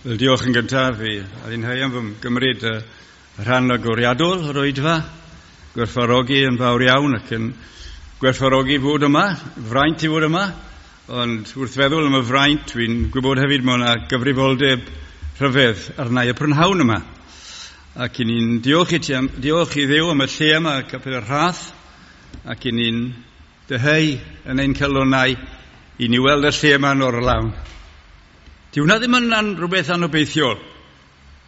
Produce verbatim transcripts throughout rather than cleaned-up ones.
Wel, diolch yn gyntaf i Alun Heiam fy gymryd y rhan agoriadol o'r oedfa, gwerthfawrogi yn fawr iawn ac yn gwerthfawrogi fod yma, fraint i fod yma, ond wrth feddwl am y fraint, dwi'n gwybod hefyd mae yna gyfrifoldeb rhyfedd arna i y prynhawn yma. Ac i ni'n diolch i, ti am, diolch i Dduw am y lle yma, Capel y Rhath, ac i ni'n dyheu yn ein calonnau i ni weld y lle yma'n orlawn. Di hwnna ddim yn an, rhywbeth anobeithiol.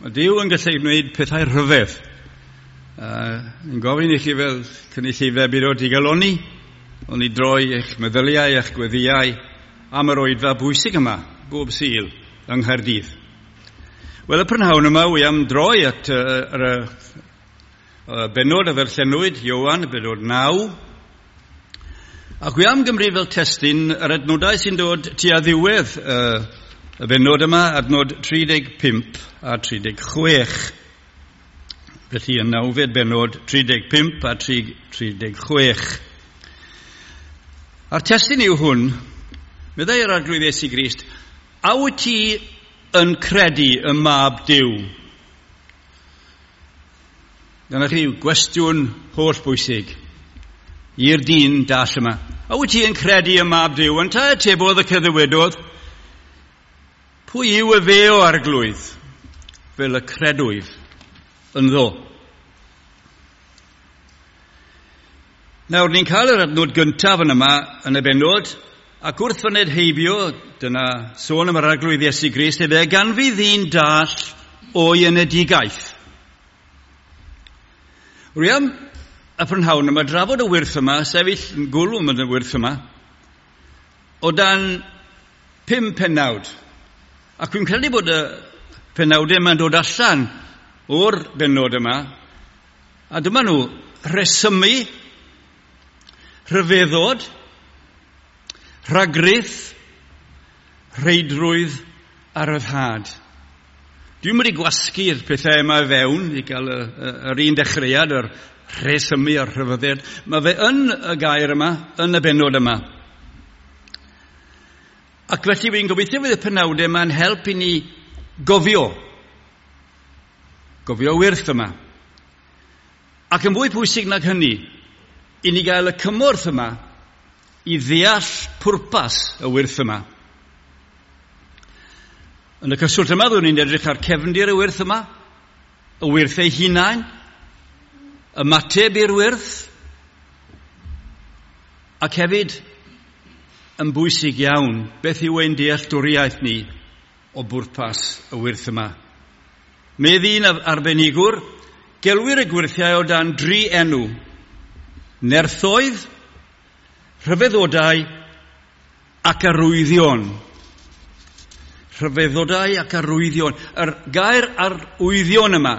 Mae Duw yn gallu gwneud pethau rhyfedd. Uh, yn gofyn i chi fel cynulleidfa byd o digaloni, ond i droi eich meddyliau, eich gweddiau am yr oedfa bwysig yma, bob Sul yng Nghaerdydd. Wel, y prynhawn yma, wi am droi at uh, yr uh, bennod a ddarllenwyd, Ioan, y bennod naw. Ac wi am gymryd fel testun yr adnodau sy'n dod tua ddiwedd uh, y bennod yma, adnod tri deg pump a tri deg chwech. Felly y nawfed bennod tri deg pump a tri deg chwech. A'r testun yw hwn, meddai yr Arglwydd Iesu Grist, a wyt ti yn credu y Mab Duw? Dyna chi gwestiwn holl bwysig i'r dyn dall yma. A wyt ti yn credu y Mab Duw? Yntau atebodd y cyddywedodd, pwy yw y fe o Arglwydd, fel y credwyf ynddo? Nawr, ni'n cael yr adnod gyntaf yn yma yn y bennod, ac wrth fyned heibio, dyna sôn am yr Arglwydd Iesu Grist, efe ganfu ddyn dall o'i enedigaeth. Rwy am y prynhawn yma drafod y wyrth yma, sefyll yn gwlwm yn y wyrth yma, o dan pum pennawd. Ac dwi'n credu bod y penawdau yma'n dod allan o'r bennod yma, a dyma nhw rhesymu, rhyfeddod, rhagrith, rheidrwydd a ryddhad. Dwi'n wedi gwasgu'r pethau yma fewn i gael y, y, yr un dechreuad, yr rhesymu a'r rhyfeddod. Mae fe yn y gair yma, yn y bennod yma. Ac felly fi'n gobeithio fydd y penawdau yma'n help i ni gofio. Gofio wyrth yma. Ac yn fwy pwysig nag hynny, i ni gael y cymorth yma i ddeall pwrpas y wyrth yma. Yn y cyswllt yma, byddwn ni'n edrych ar cefndir y wyrth yma, y wyrth ei hunain, ymateb i'r wyrth, ac hefyd yn bwysig iawn, beth yw ein dealltwriaeth ni o bwrpas y wyrth yma. Medd un arbenigwr, gelwir y gwyrthiau o dan dri enw: nerthoedd, rhyfeddodau ac arwyddion. Rhyfeddodau ac arwyddion. Yr gair arwyddion yma,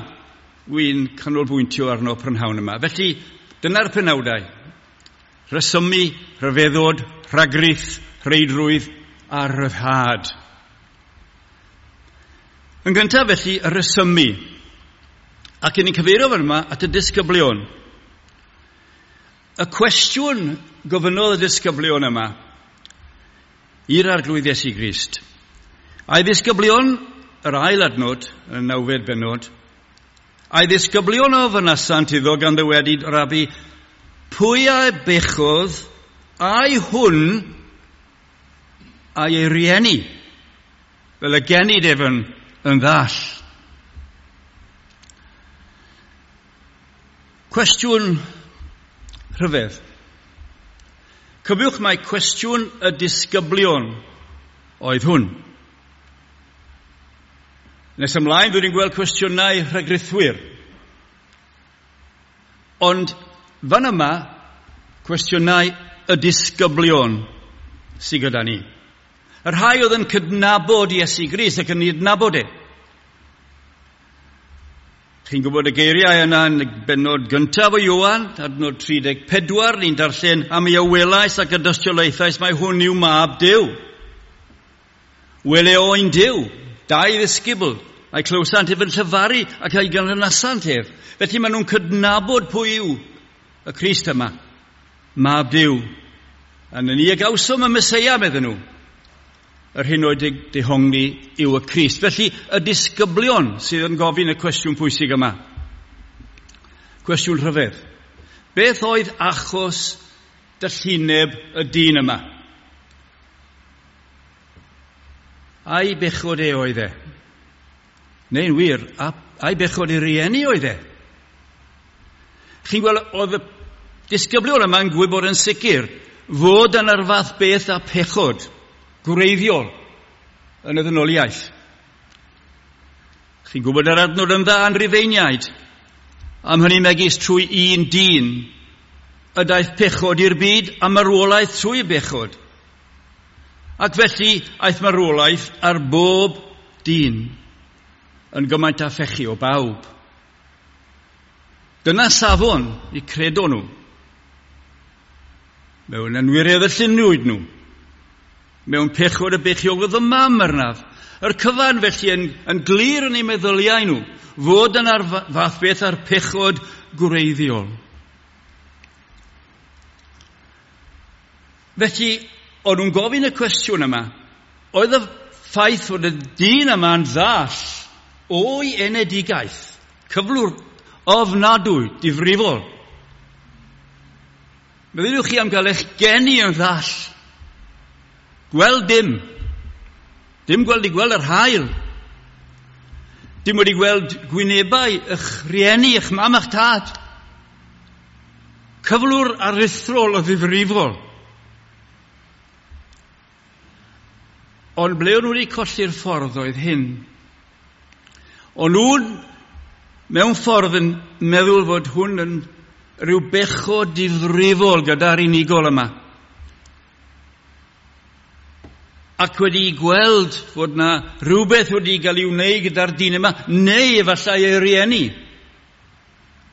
wy'n canolbwyntio arno prynhawn yma. Felly, dyna'r penawdau. Rhesymu, rhyfeddod, rhagrith, rheidrwydd a rhyddhad. Yn gyntaf felly, y rhesymu. Ac yn ni'n cyfeirio fan yma at y disgyblion. Y cwestiwn gofynnodd y disgyblion yma i'r Arglwydd Iesu Grist. A'i ddisgyblion, yr ail adnod, y nawfed bennod, a'i ddisgyblion ofynasant iddo gan ddywedyd, Rabi, pwy a bechodd, ai hwn a'i ei rieni, fel y genid ef yn, yn ddall? Cwestiwn rhyfedd. Cofiwch mai cwestiwn y disgyblion oedd hwn. Nes ymlaen, dwi'n gweld cwestiynau rhagrithwyr. Ond fan yma, cwestiynau y disgyblion sydd gyda ni. Y rhai oedd yn cydnabod Iesu Grist ac yn ei adnabod e. Chi'n gwybod y geiriau yna yn y bennod gyntaf o Ioan, adnod tri deg pedwar, ni'n darllen am ei awelais ac y dystiolaethais mai hwn yw Mab Duw. Wele oen Duw, dau ddisgybl, a'i clywsant ef yn llefaru ac a'i ganlynasant ef. Felly maen nhw'n cydnabod pwy yw y Crist yma, Mab Duw. A ni y gawsom y Meseia, medden nhw. yr hyn oedd dehongli yw y Crist. Felly, y disgyblion sydd yn gofyn y cwestiwn pwysig yma. Cwestiwn rhyfedd. Beth oedd achos dallineb y dyn yma? Ai bechod e oedd e? Neu'n wir, ai bechod ei rieni oedd e? Chi'n gweld, oedd y disgyblion yma'n gwybod yn sicr fod yna'r fath beth a pechod gwreiddiol yn y ddynoliaeth. Chi'n gwybod yr adnod yn dda yn Rufeiniaid, am hynny megis trwy un dyn y daeth pechod i'r byd a marwolaeth trwy bechod. Ac felly aeth marwolaeth ar bob dyn yn gymaint â phechu o bawb. Dyna safon i credo nhw. Mewn anwiredd y lluniwyd nhw. Mewn pechod y beichiogodd y mam arnaf. Yr cyfan felly yn, yn glir yn eu meddyliau nhw, fod yna'r fath beth a'r pechod gwreiddiol. Felly, o'n nhw'n gofyn y cwestiwn yma, oedd y ffaith fod y dyn yma'n ddall o'i enedigaeth, cyflwr ofnadwy, difrifol. Meddyliwch chi am gael eich geni yn ddall. Gweld dim. Dim gweld i gweld yr haul. Dim wedi gweld gwynebau eich rhieni, eich mam a'ch tad. Cyflwr aruthrol o ddifrifol. Ond ble o'n nhw wedi colli'r ffordd oedd hyn? O'n nhw'n mewn ffordd yn meddwl fod hwn yn rhyw bechod difrifol gyda'r unigol yma. Ac wedi gweld fod na rhywbeth wedi gael ei wneud gyda'r dyn yma, neu efallai ei rieni,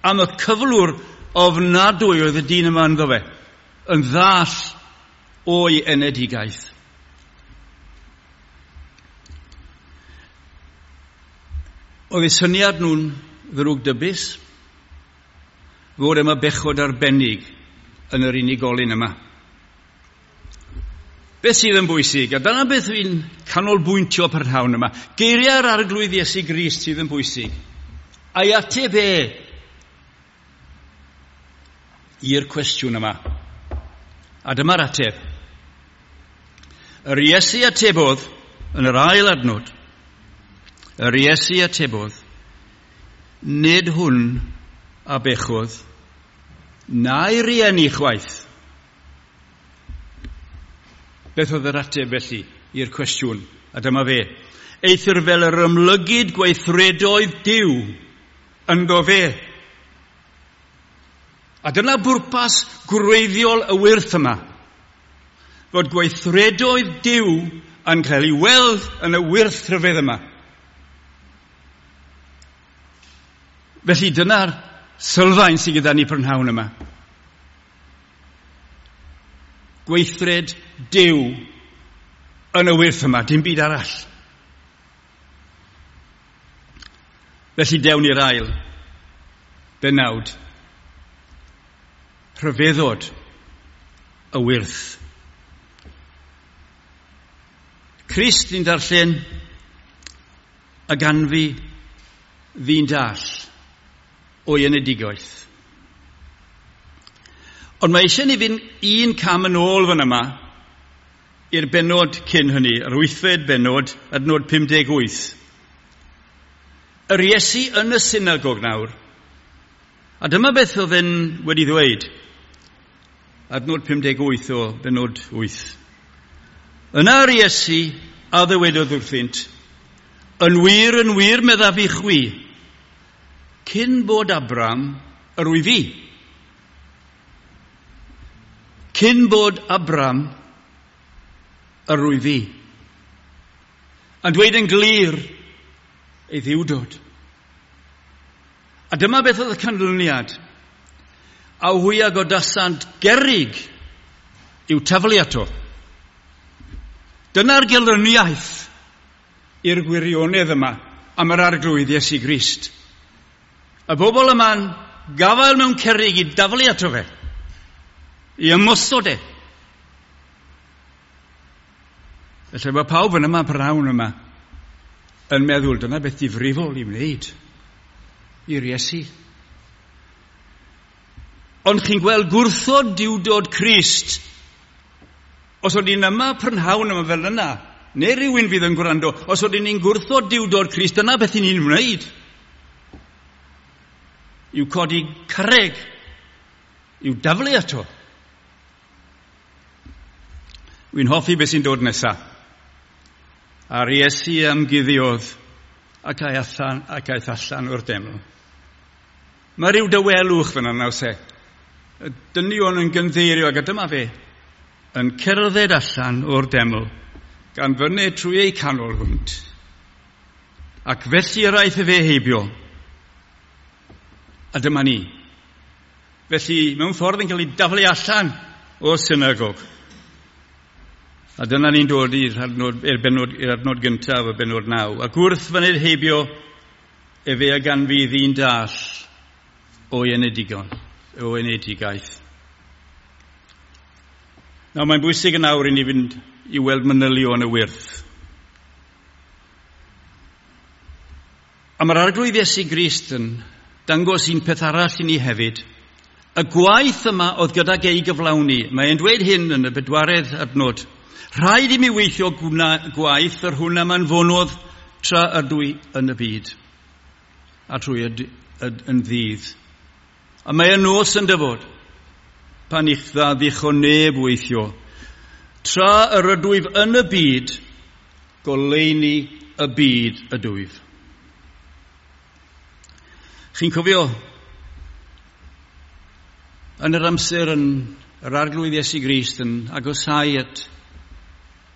am y cyflwr ofnadwy oedd y dyn yma ynddo fe, yn ddall o'i enedigaeth. Oedd eu syniad nhw'n ddrwgdybus, fod yma bechod arbennig yn yr unigolyn yma. Beth sydd yn bwysig, a dyna beth fi'n canolbwyntio prynhawn yma, geiriau'r Arglwydd Iesu Grist sydd yn bwysig, a'i ateb e i'r cwestiwn yma. A dyma'r ateb. Yr Iesu atebodd yn yr ail adnod, yr Iesu atebodd, nid hwn a bechodd, na'i rieni chwaith. Beth oedd yr ateb felly i'r cwestiwn? A dyma fe. Eithr fel yr ymlygid gweithredoedd Duw ynddo fe. A dyna bwrpas gwreiddiol y wyrth yma. Fod gweithredoedd Duw yn cael ei weld yn y wyrth rhyfedd yma. Felly dyna'r sylfaen sydd gyda ni prynhawn yma. Gweithred Duw yn y wyrth yma, dim byd arall. Felly dewn i'r ail benawd. Rhyfeddod y wyrth. Crist ni'n darllen a ganfu ddyn dall o'i enedigaeth. Ond mae eisiau ni fynd un cam yn ôl fan yma i'r bennod cyn hynny, yr wythfed bennod, adnod pum deg wyth. Yr Iesu yn y synagog nawr. A dyma beth oedd e'n wedi ddweud. Adnod pum deg wyth o bennod wyth. Yna yr Iesu a ddywedodd wrthynt, yn wir, yn wir, meddaf i chwi, cyn bod Abram, yr wyf fi. Cyn bod Abram, yr wyf fi. Yn dweud yn glir ei ddiwdod. A dyma beth oedd y canlyniad. A hwy a godasant gerrig i'w taflu ato. Dyna'r gelyniaeth i'r gwirionedd yma am yr Arglwydd Iesu Grist. Y bobl yma'n gafael mewn cerrig i daflu ato fe, i ymosod e. Felly mae pawb yn yma prynhawn yma yn meddwl dyna beth difrifol i wneud i'r Iesu. Ond chi'n gweld gwrthod diwdod Crist. Os oedden ni'n yma prynhawn yma fel yna, neu rhywun fydd yn gwrando, os oedden ni'n gwrthod diwdod Crist, dyna beth i ni'n wneud. Yw codi carreg, yw daflu ato. Wy'n hoffi beth sy'n dod nesaf. A'r Iesu ymguddiodd ac aeth allan, ac aeth allan o'r deml. Mae rhyw dawelwch fyna nawr se. Y dynion yn gyndeirio ac dyma fe yn cerdded allan o'r deml gan fyny trwy eu canol hwnt. Ac felly yr aeth fe heibio. A dyma ni. Felly, mewn ffordd yn cael ei daflu allan o'r synagog. A dyna ni'n dod i'r adnod, i'r bennod, i'r adnod gyntaf, y bennod naw. Ac wrth fyned heibio, efe a ganfu ddyn dall o'i enedigon, o enedigaeth. Nawr, mae'n bwysig yn awr i ni fynd i weld manylion y wyrth. A mae'r Arglwydd Iesu Grist yn dangos un peth arall i ni hefyd. Y gwaith yma oedd gydag ei gyflawni. Mae'n dweud hyn yn y bedwaredd adnod. Rhaid i mi weithio gwaith yr hwn am anfonodd tra ydw i yn y byd, a trwy y, y, yn ddydd. A mae y nos yn dyfod, pan i'ch dda ddichon neb weithio. Tra yr ydwyf yn y byd, goleuni y byd ydwyf. Chi'n cofio, yn yr amser yn yr Arglwydd Iesu Grist yn agosau at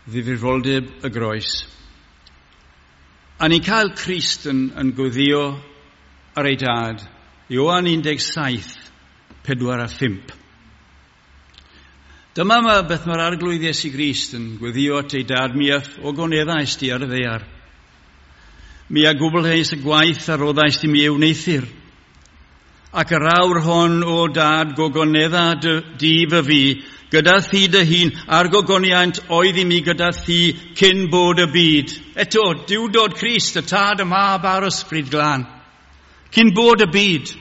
ddifrifoldeb y groes. A ni'n cael Crist yn, yn gweddio ar ei dad, Ioan un deg saith, pedwar a phump. Dyma ma beth mae'r Arglwydd Iesu Grist yn gweddio at ei dad, mi a ogoneddais di ar y ddaear. Mi a gwblheis y gwaith a roddais di mi ei wneuthur. Ac yr awr hon, o dad, gogonedda di fy fi, gyda thi dy hun, a'r gogoniant oedd i mi gyda thi cyn bod y byd. Eto, diwdod Crist, y tad, y mab a'r ysbryd glân. Cyn bod y byd.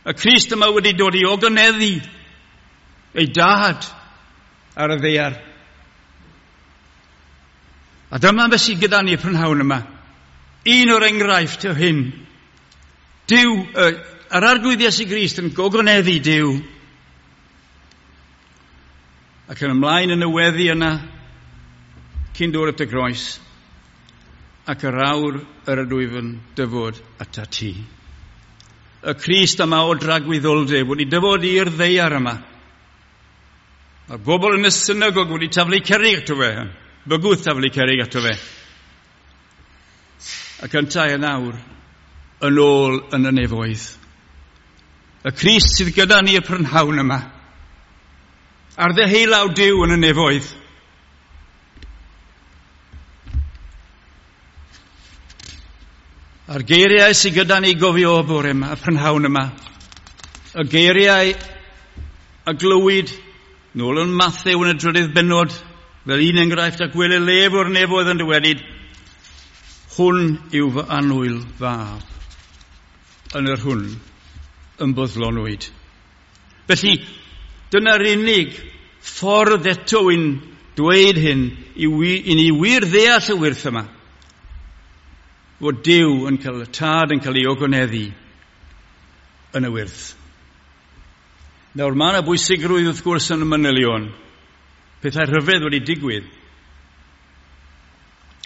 Y Crist yma wedi dod i ogoneddu ei dad ar y ddaear. A dyma beth sydd gyda ni prynhawn yma. Un o'r enghraifft o hyn. Duw, yr Arglwydd Iesu Grist yn gogoneddu Duw. Ac yn ymlaen yn y weddi yna, cyn dod at y groes, ac yr awr yr ydwyf yn dyfod atat ti. Y Crist yma o dragwyddoldeb wedi dyfod i'r ddaear yma. Mae'r bobl yn y synagog wedi taflu cerrig ato fe, bygwth taflu cerrig ato fe. Ac yntau yn awr, yn ôl yn y nefoedd. Y Crist sydd gyda ni y prynhawn yma. Ar ddeheulaw Duw yn y nefoedd. A'r geiriau sydd gyda ni gofio o bore yma, y prynhawn yma. Y geiriau a glywyd nôl yn Mathew yn y drydydd bennod, fel un enghraifft, ac wele lef o'r nefoedd yn dywedyd, hwn yw fy annwyl fab, yn yr hwn ymboddlonwyd. Felly, dyna'r unig ffordd eto i'n dweud hyn, i, i ni wir ddeall y wyrth yma, fod Duw yn cael y tad yn cael ei ogoneddu yn y wyrth. Nawr, mae yna bwysigrwydd wrth gwrs yn y manylion. Pethau rhyfedd wedi digwydd.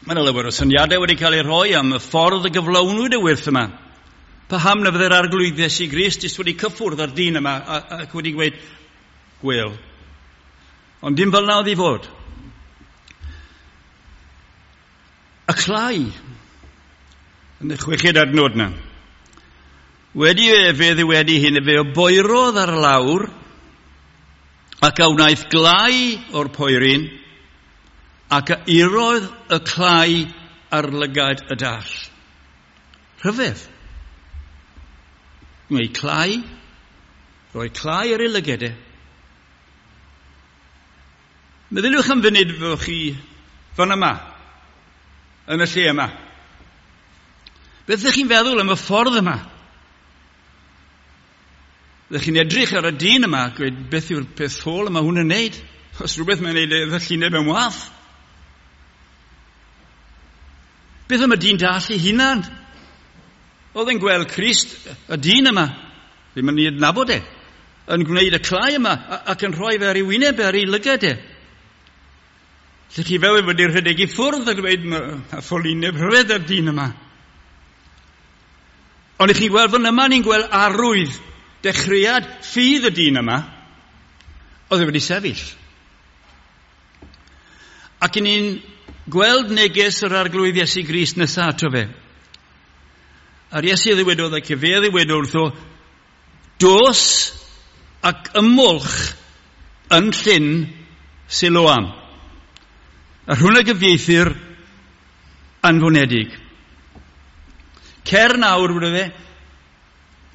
Mae yna lawer o syniadau wedi cael eu rhoi am y ffordd y gyflawnwyd y wyrth yma. Paham na fydde'r Arglwydd Iesu Grist jyst wedi cyffwrdd ar dyn yma ac wedi gweud, gwel. Ond dim fel na oedd i fod. Y clai, yn y chweched adnod na. Wedi efe ddiwedi hyn, efe o boerodd ar lawr ac a wnaeth glai o'r poeryn ac a irodd y clai ar lygaid y dall. Rhyfedd. Gwneud clai, rhoi clai ar ei lygedau. Meddyliwch am funud fyddwch chi fan yma, yn y lle yma. Beth ydych chi'n feddwl am y ffordd yma? Ydych chi'n edrych ar y dyn yma a gweud beth yw'r peth ffôl yma hwn yn neud? Os rhywbeth mae'n neud e llineb yn wath. Beth am y dyn dall ei hunan? Oedd e'n gweld Crist, y dyn yma, ddim yn ei adnabod e, yn gwneud y clai yma ac yn rhoi fe ar ei wyneb ar ei lygad e. Lle chi fel wedi rhedeg i ffwrdd a dweud a ffolineb rhyfedd ar dyn yma. Ond i chi'n gweld fan yma, ni'n gweld arwydd dechreuad ffydd y dyn yma, oedd e wedi sefyll. Ac i ni'n gweld neges yr Arglwydd Iesu Grist nesaf ato fe. A'r Iesu ddywedodd ac efe ddywedodd wrtho, dos ac ymolch yn llyn Siloam. A hwnna gyfieithu'r anfonedig. Cer nawr, wedi fe,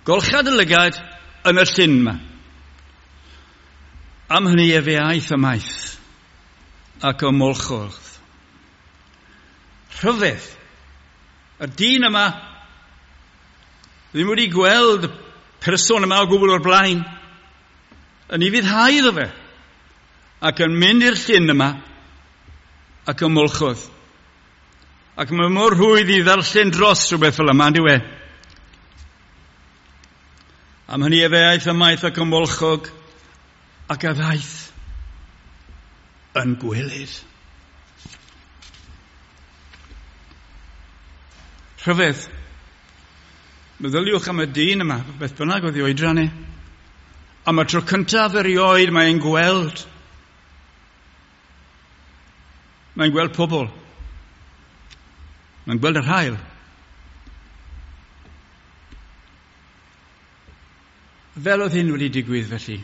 golchad y lygad yn y llyn yma. Am hynny efe aeth ymaith ac ymolchodd. Rhyfedd. Y dyn yma ddim wedi gweld y person yma o gwbl o'r blaen. Yn ei fuddhau iddo fe. Ac yn mynd i'r llyn yma ac ymolchodd. Ac mae mor rhwydd i ddarllen dros rhywbeth fel yma, on'd yw e? Am hynny efe aeth ymaith ac ymolchog ac a ddaeth yn gweled. Rhyfedd. Meddyliwch am y dyn yma, beth bynnag oedd ei oedran e. Am y tro cyntaf erioed mae'n gweld. Mae'n gweld pobl. Mae'n gweld yr haul. Fel oedd hyn wedi digwydd felly?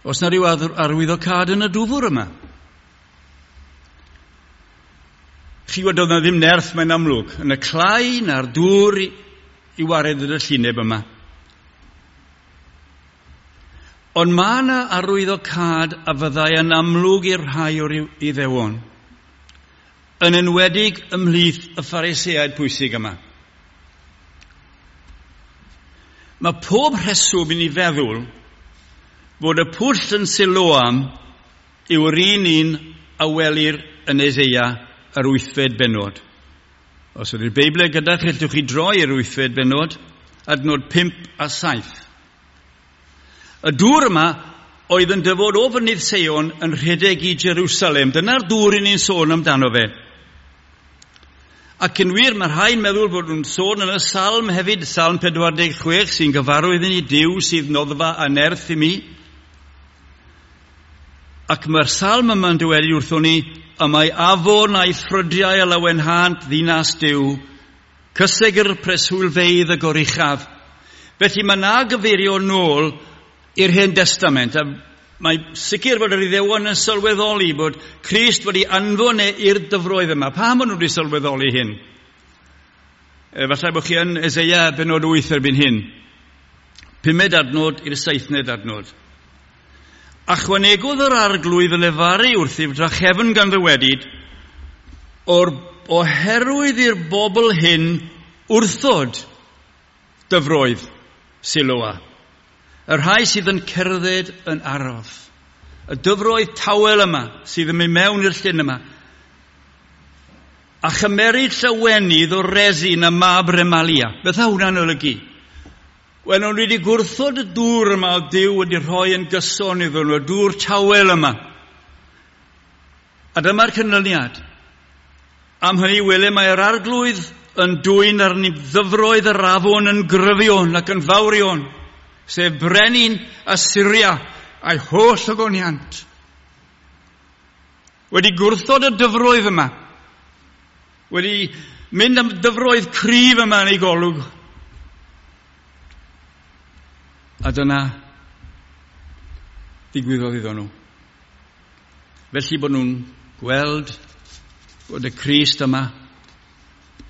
Oes na ryw arwyddocâd yn y dwfr yma? Chi wedi oedd na ddim nerth mae'n amlwg yn y clai na'r dŵr i, i wared y llineb yma. Ond mae yna arwyddocâd a fyddai yn amlwg i'r rhai o'r Iddewon, yn enwedig ymhlith y Phariseaid pwysig yma. Mae pob rheswm i ni feddwl bod y pwll yn Siloam yw'r un un a welir yn Eseia yr wythfed bennod. Os ydy'r Beibl gyda chi, allwch chi droi i'r wythfed bennod, adnod pump a saith. Y dŵr yma oedd yn dyfod o fynydd Seion yn rhedeg i Jerusalem. Dyna'r dŵr i ni'n sôn amdano fe. Ac yn wir, mae rhai'n meddwl bod nhw'n sôn yn y salm hefyd, Salm pedwar deg chwech, sy'n gyfarwydd i ni, Duw sydd noddfa a nerth i mi. Ac mae'r salm yma'n dweud wrthon ni, y mae afon a'i ffrydiau a lawenhant ddinas Duw, cysegr preswylfeydd y goruchaf. Felly mae na gyfeirio nôl i'r Hen Destament, a mae sicr bod yr Iddewon yn sylweddoli bod Crist wedi anfon e i'r dyfroedd yma. Pam maen nhw wedi sylweddoli hyn? Efallai bod chi yn Eseia bennod wyth erbyn hyn. Pumed adnod i'r seithned adnod. A chwanegodd yr Arglwydd y lefaru wrthyf drachefn gan ddywedyd, o'r oherwydd i'r bobl hyn wrthod dyfroedd Siloa. Y rhai sydd yn cerdded yn araf. Y dyfroedd tawel yma sydd yn mynd mewn i'r llyn yma. A chymeryd llawenydd o Resin a mab Remalia. Beth a hwnna'n olygu? Wel, nhw wedi gwrthod y dŵr yma o Duw wedi rhoi yn gyson iddyn nhw, y dŵr tawel yma. A dyma'r canlyniad. Am hynny wele mae'r Arglwydd yn dwyn arni ddyfroedd yr afon yn gryfion ac yn fawrion, sef brenin Asyria a'i holl ogoniant. Wedi gwrthod y dyfroedd yma, wedi mynd am dyfroedd cryf yma yn ei golwg. A dyna ddigwyddodd iddyn nhw. Felly bod nhw'n gweld bod y Crist yma,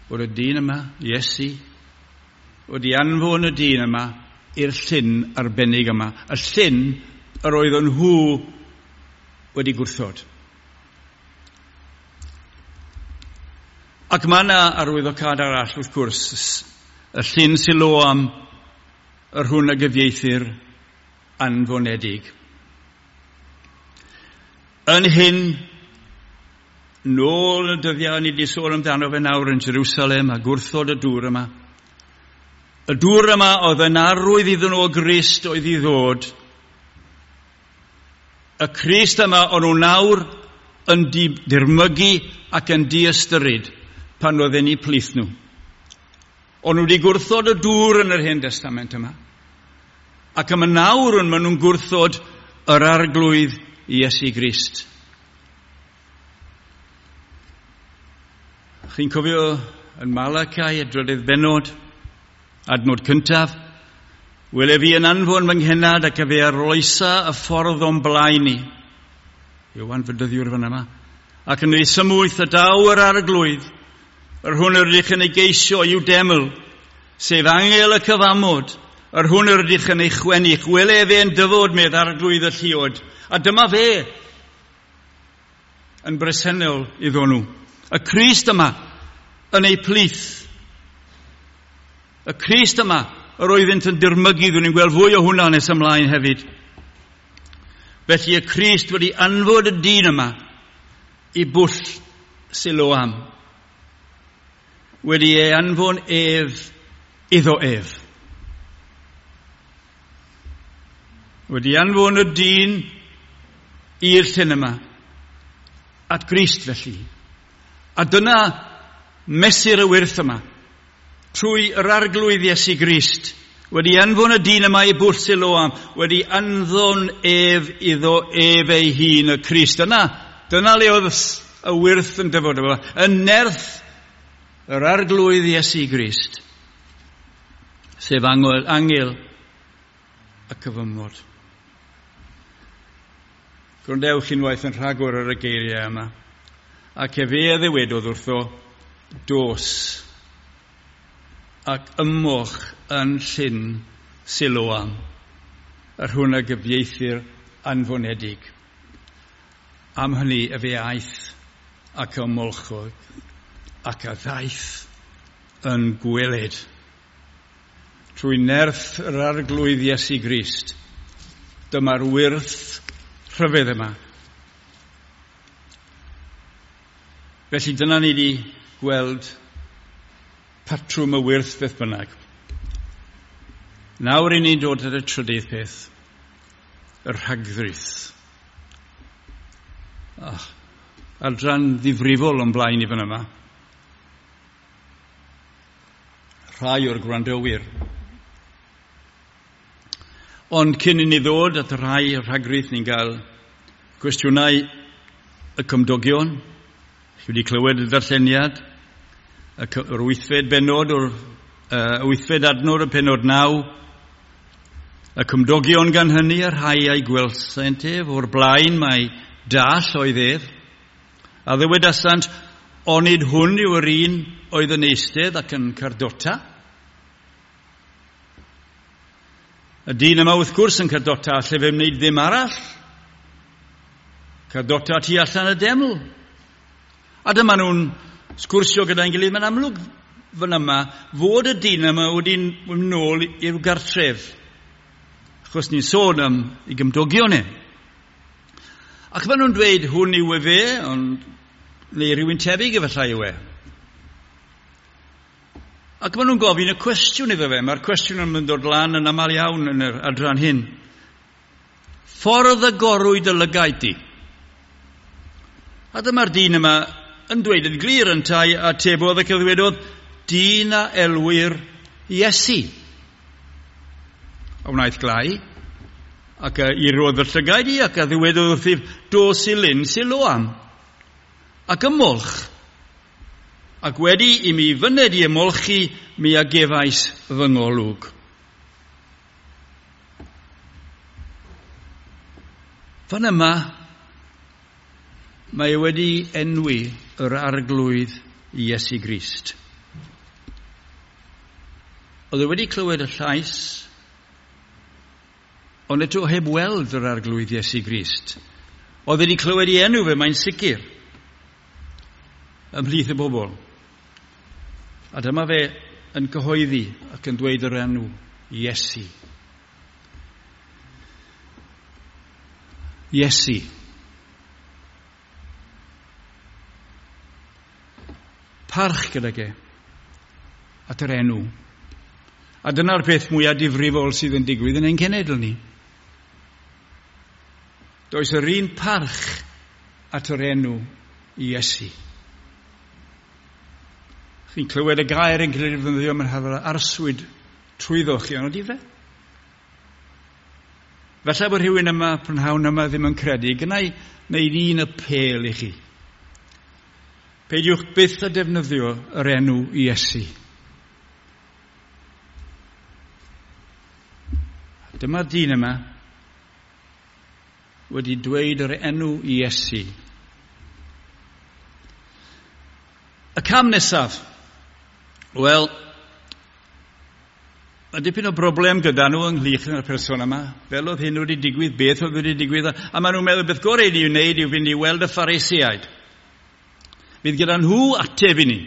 bod y dyn yma, Iesu, wedi anfon y dyn yma i'r llyn arbennig yma. Y llyn yr oedden nhw wedi gwrthod. Ac mae yna arwyddocâd arall wrth gwrs, y llyn Siloam, yr hwn a gyfieithir anfonedig. Yn hyn, nôl y dyddiau ni wedi sôn amdano fe nawr yn Jerusalem a gwrthod y dŵr yma. Y dŵr yma oedd yn arwydd iddyn nhw o Grist oedd i ddod. Y Crist yma o'n nhw nawr yn dirmygu ac yn diystyrid pan oedden ni plith nhw. O'n nhw wedi gwrthod y dŵr yn yr Hen Testament yma. Ac yma nawr yn maen nhw'n gwrthod yr Arglwydd Iesu Grist. Chi'n cofio yn Malachi, y drydydd bennod, adnod cyntaf, wele fi yn anfon fy nghenad ac efe arloesa y ffordd o'n blaen i. Ioan Fedyddiwr fan yma. Ac yn ei symwyth y daw yr Arglwydd, yr hwn yr ydych yn ei geisio i'w deml, sef angel y cyfamod, yr hwn yr ydych yn ei chwennych, wele efe yn dyfod medd Arglwydd y lluod. A dyma fe yn bresennol iddo nhw. Y Crist yma yn ei plith. Y Crist yma yr oeddynt yn dirmygu, dwi'n ni'n gweld fwy o hwnna nes ymlaen hefyd. Felly y Crist wedi anfod y dyn yma i bwll Siloam. Wedi ei anfon ef iddo ef. Wedi anfon y dyn i'r llyn yma, at Grist felly. A dyna mesur y wyrth yma, trwy yr Arglwydd Iesu Grist, wedi anfon y dyn yma i bwll Siloam, wedi anfon ef iddo ef ei hun y Crist. Dyna, dyna le oedd y wyrth yn dyfod yma, y nerth yr Arglwydd Iesu Grist, sef angel, angel y cyfamod. Gwrandewch unwaith yn rhagor ar y geiriau yma. Ac efe a ddywedodd wrtho, dos ac ymwch yn llyn Siloam, yr hwn a gyfieithir anfonedig. Am hynny efe aeth ac ymolchodd ac a ddaeth yn gweled. Trwy nerth yr Arglwydd Iesu Grist, dyma'r wyrth rhyfedd yma. Felly dyna ni wedi gweld patrwm y wyrth beth bynnag. Nawr i ni'n dod at y trydydd peth, y rhagddrith. Oh, adran ddifrifol o'n blaen i fan yma. Rhai o'r gwrandawyr. Ond cyn i ni ddod at y rhai rhagrith, ni'n cael cwestiynau y cymdogion. Chi wedi clywed y darlleniad, yr wythfed bennod o'r uh, wythfed adnod y pennod naw. Y cymdogion gan hynny, y rhai a'i gwelsent ef, o'r blaen mai dall oedd ef. A ddywedasant, onid hwn yw yr un oedd yn eistedd ac yn cardota? Y dyn yma wrth gwrs yn cardota, lle fe wneud ddim arall. Cardota tu allan y deml. A dyma nhw'n sgwrsio gyda'n gilydd. Mae'n amlwg fan yma fod y dyn yma wedi mynd nôl i'w gartref. Achos ni'n sôn am ei gymdogion e. Ac maen nhw'n dweud hwn yw e fe, ond neu rhywun tebyg efallai yw e. Ac maen nhw'n gofyn y cwestiwn iddo fe. Mae'r cwestiwn yn dod lan yn aml iawn yn yr adran hyn. Ffordd y gorwyd y lygaid di. A dyma'r dyn yma yn dweud yn glir yntau a tebodd ac a ddwedodd, dyn a elwir Iesu. A wnaeth glau, ac a irodd y llygaid i, ac a ddywedodd wrthyf, dos i lyn Siloam, ac ymolch. Ac wedi i mi fyned i ymolchi, mi a gefais fy ngolwg. Fan yma, mae wedi enwi yr Arglwydd Iesu Grist. Oedd e wedi clywed y llais, ond eto heb weld yr Arglwydd Iesu Grist. Oedd wedi clywed ei enw fe, mae'n sicr, ymhlith y bobl. A dyma fe yn cyhoeddi ac yn dweud yr enw Iesu. Iesu. Parch gydag e at yr enw. A dyna'r peth mwyaf difrifol sydd yn digwydd yn ein cenedl ni. Does yr un parch at yr enw Iesu. Chi'n clywed y gair yn cael ei ddefnyddio, mae'n hafal arswyd trwyddo chi, ond ydy fe? Falle bod rhywun yma, prynhawn yma, ddim yn credu. Gynna i wneud un apêl i chi. Peidiwch byth â defnyddio yr enw Iesu. Dyma'r dyn yma wedi dweud yr enw Iesu. Y cam nesaf, wel, mae dipyn o broblem gyda nhw ynghylch â'r person yma, fel oedd hyn wedi digwydd, beth oedd wedi digwydd, a maen nhw'n meddwl beth gorau i ni wneud yw fynd i weld y Phariseaid. Fydd gyda nhw ateb i ni.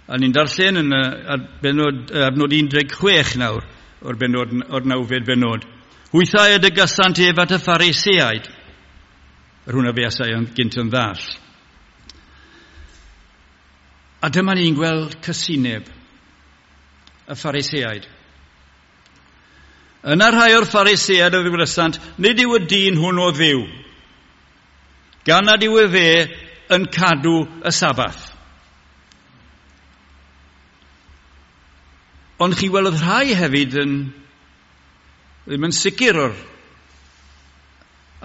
A ni'n darllen yn adnod, adnod un deg chwech nawr, o'r, benod, o'r nawfed benod. Hwythau y dygasant ef at y Phariseaid. Yr hwnna fuasai yn gynt yn ddall. A dyma ni'n gweld cysineb y Phariseaid. Yna rhai o'r Phariseaid a ddywedasant, nid yw y dyn hwn o Dduw, gan nad yw efe yn cadw y Sabath. Ond chi welodd rhai hefyd yn ddim yn sicr o'r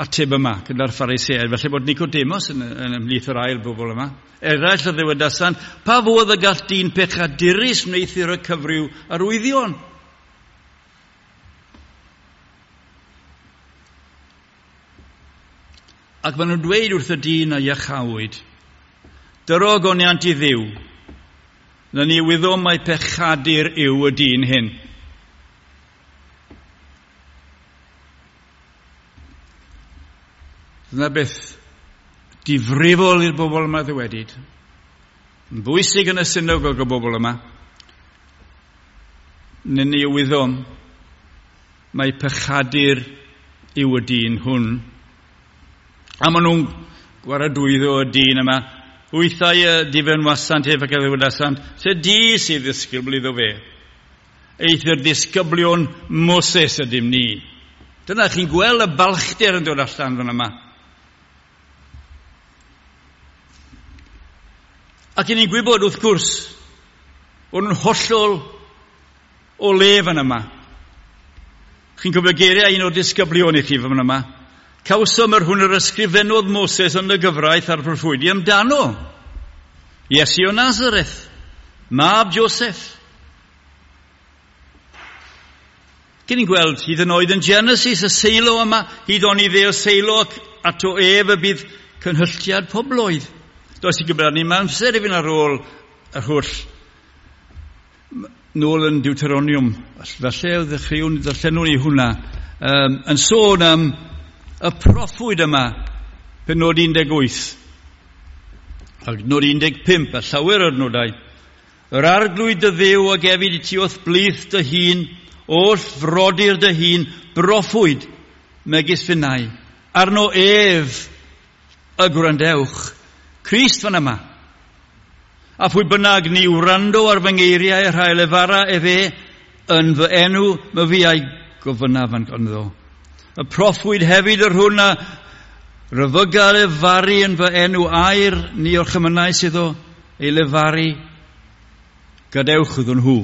ateb yma gyda'r Phariseaid. Felly bod Nicodemus yn, yn ymhlith yr ail bobl yma. Eraill a ddywedasant, pa fodd y gall dyn pechadurus wneuthur y cyfryw arwyddion? Ac maen nhw'n dweud wrth y dyn a iachawyd, dyro ogoniant i Dduw, na ni wyddom mai pechadur yw y dyn hyn. Dyna beth difrifol i'r bobl yma ddywedyd. Yn bwysig yn y synagog y bobl yma. Na ni wyddom mai pechadur yw y dyn hwn. A maen nhw'n gwaradwyddo y dyn yma. Hwythau y difenwasant ef ac a ddywedasant, se di sydd ddisgybl iddo fe. Eithr ddisgyblion Moses ydym ni. Dyna chi'n gweld y balchder yn dod allan fan yma. Ac i ni'n gwybod wrth gwrs, bod nhw'n hollol o le fan yma. Chi'n cofio geiriau un o'r disgyblion i chi fan yma. Cawsom yr hwn yr ysgrifennodd Moses yn y gyfraith a'r proffwydi amdano. Iesu o Nazareth, mab Joseph. Cyn ni'n gweld hyd yn oed yn Genesis y Seilo yma, hyd oni dde o Seilo ac ato ef y bydd cynhylliad pobloedd. Does i gyfrannu ni amser i fynd ar ôl yr holl nôl yn Deuteronomium. Falle ddechreuwn, ddarllenwn ni hwnna. Um, yn sôn am y proffwyd yma, penod un deg wyth, ac nod un deg pump, a llawer o'r nodau. Yr arglwydd dy Dduw a gefyd i ti wrth blith dy hun, oll frodyr dy hun, broffwyd megis finnau. Arno ef y gwrandewch. Crist fan yma. A phwy bynnag ni wrando ar fy ngeiriau rhai lefara efe yn fy enw, my fi a'i gofynnaf yn ganddo. Y proffwyd hefyd yr hwn a ryfyga lefaru yn fy enw air ni orchymynais iddo ei lefaru, gadewch iddyn nhw.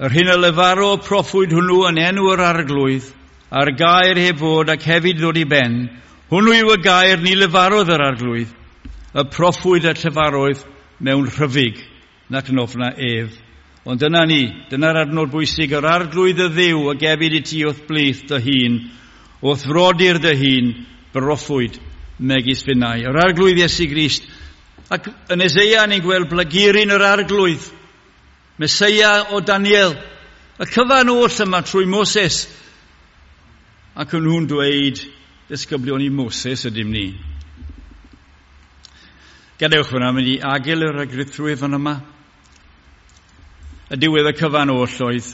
Yr hyn a lefaro proffwyd hwnnw yn enw yr arglwydd, a'r gair heb fod ac hefyd ddod i ben, hwnnw yw y gair ni lefarodd yr arglwydd, y proffwyd a llefaroedd mewn rhyfyg, nac yn ofna ef. Ond dyna ni, dyna'r adnod bwysig, yr arglwydd y Dduw a gefyd i ti wrth blith dy hun, wrth frodyr dy hun, broffwyd megis finnau. Yr arglwydd Iesu Grist. Ac yn Eseia ni'n gweld blaguryn yr arglwydd, Meseia o Daniel, y cyfan oll yma trwy Moses Ac o'n nhw'n dweud, disgyblion i Moses ydym ni. Gadewch fyna, mynd i agil yr agrithrwydd fan yma. Y diwedd y cyfan oll oedd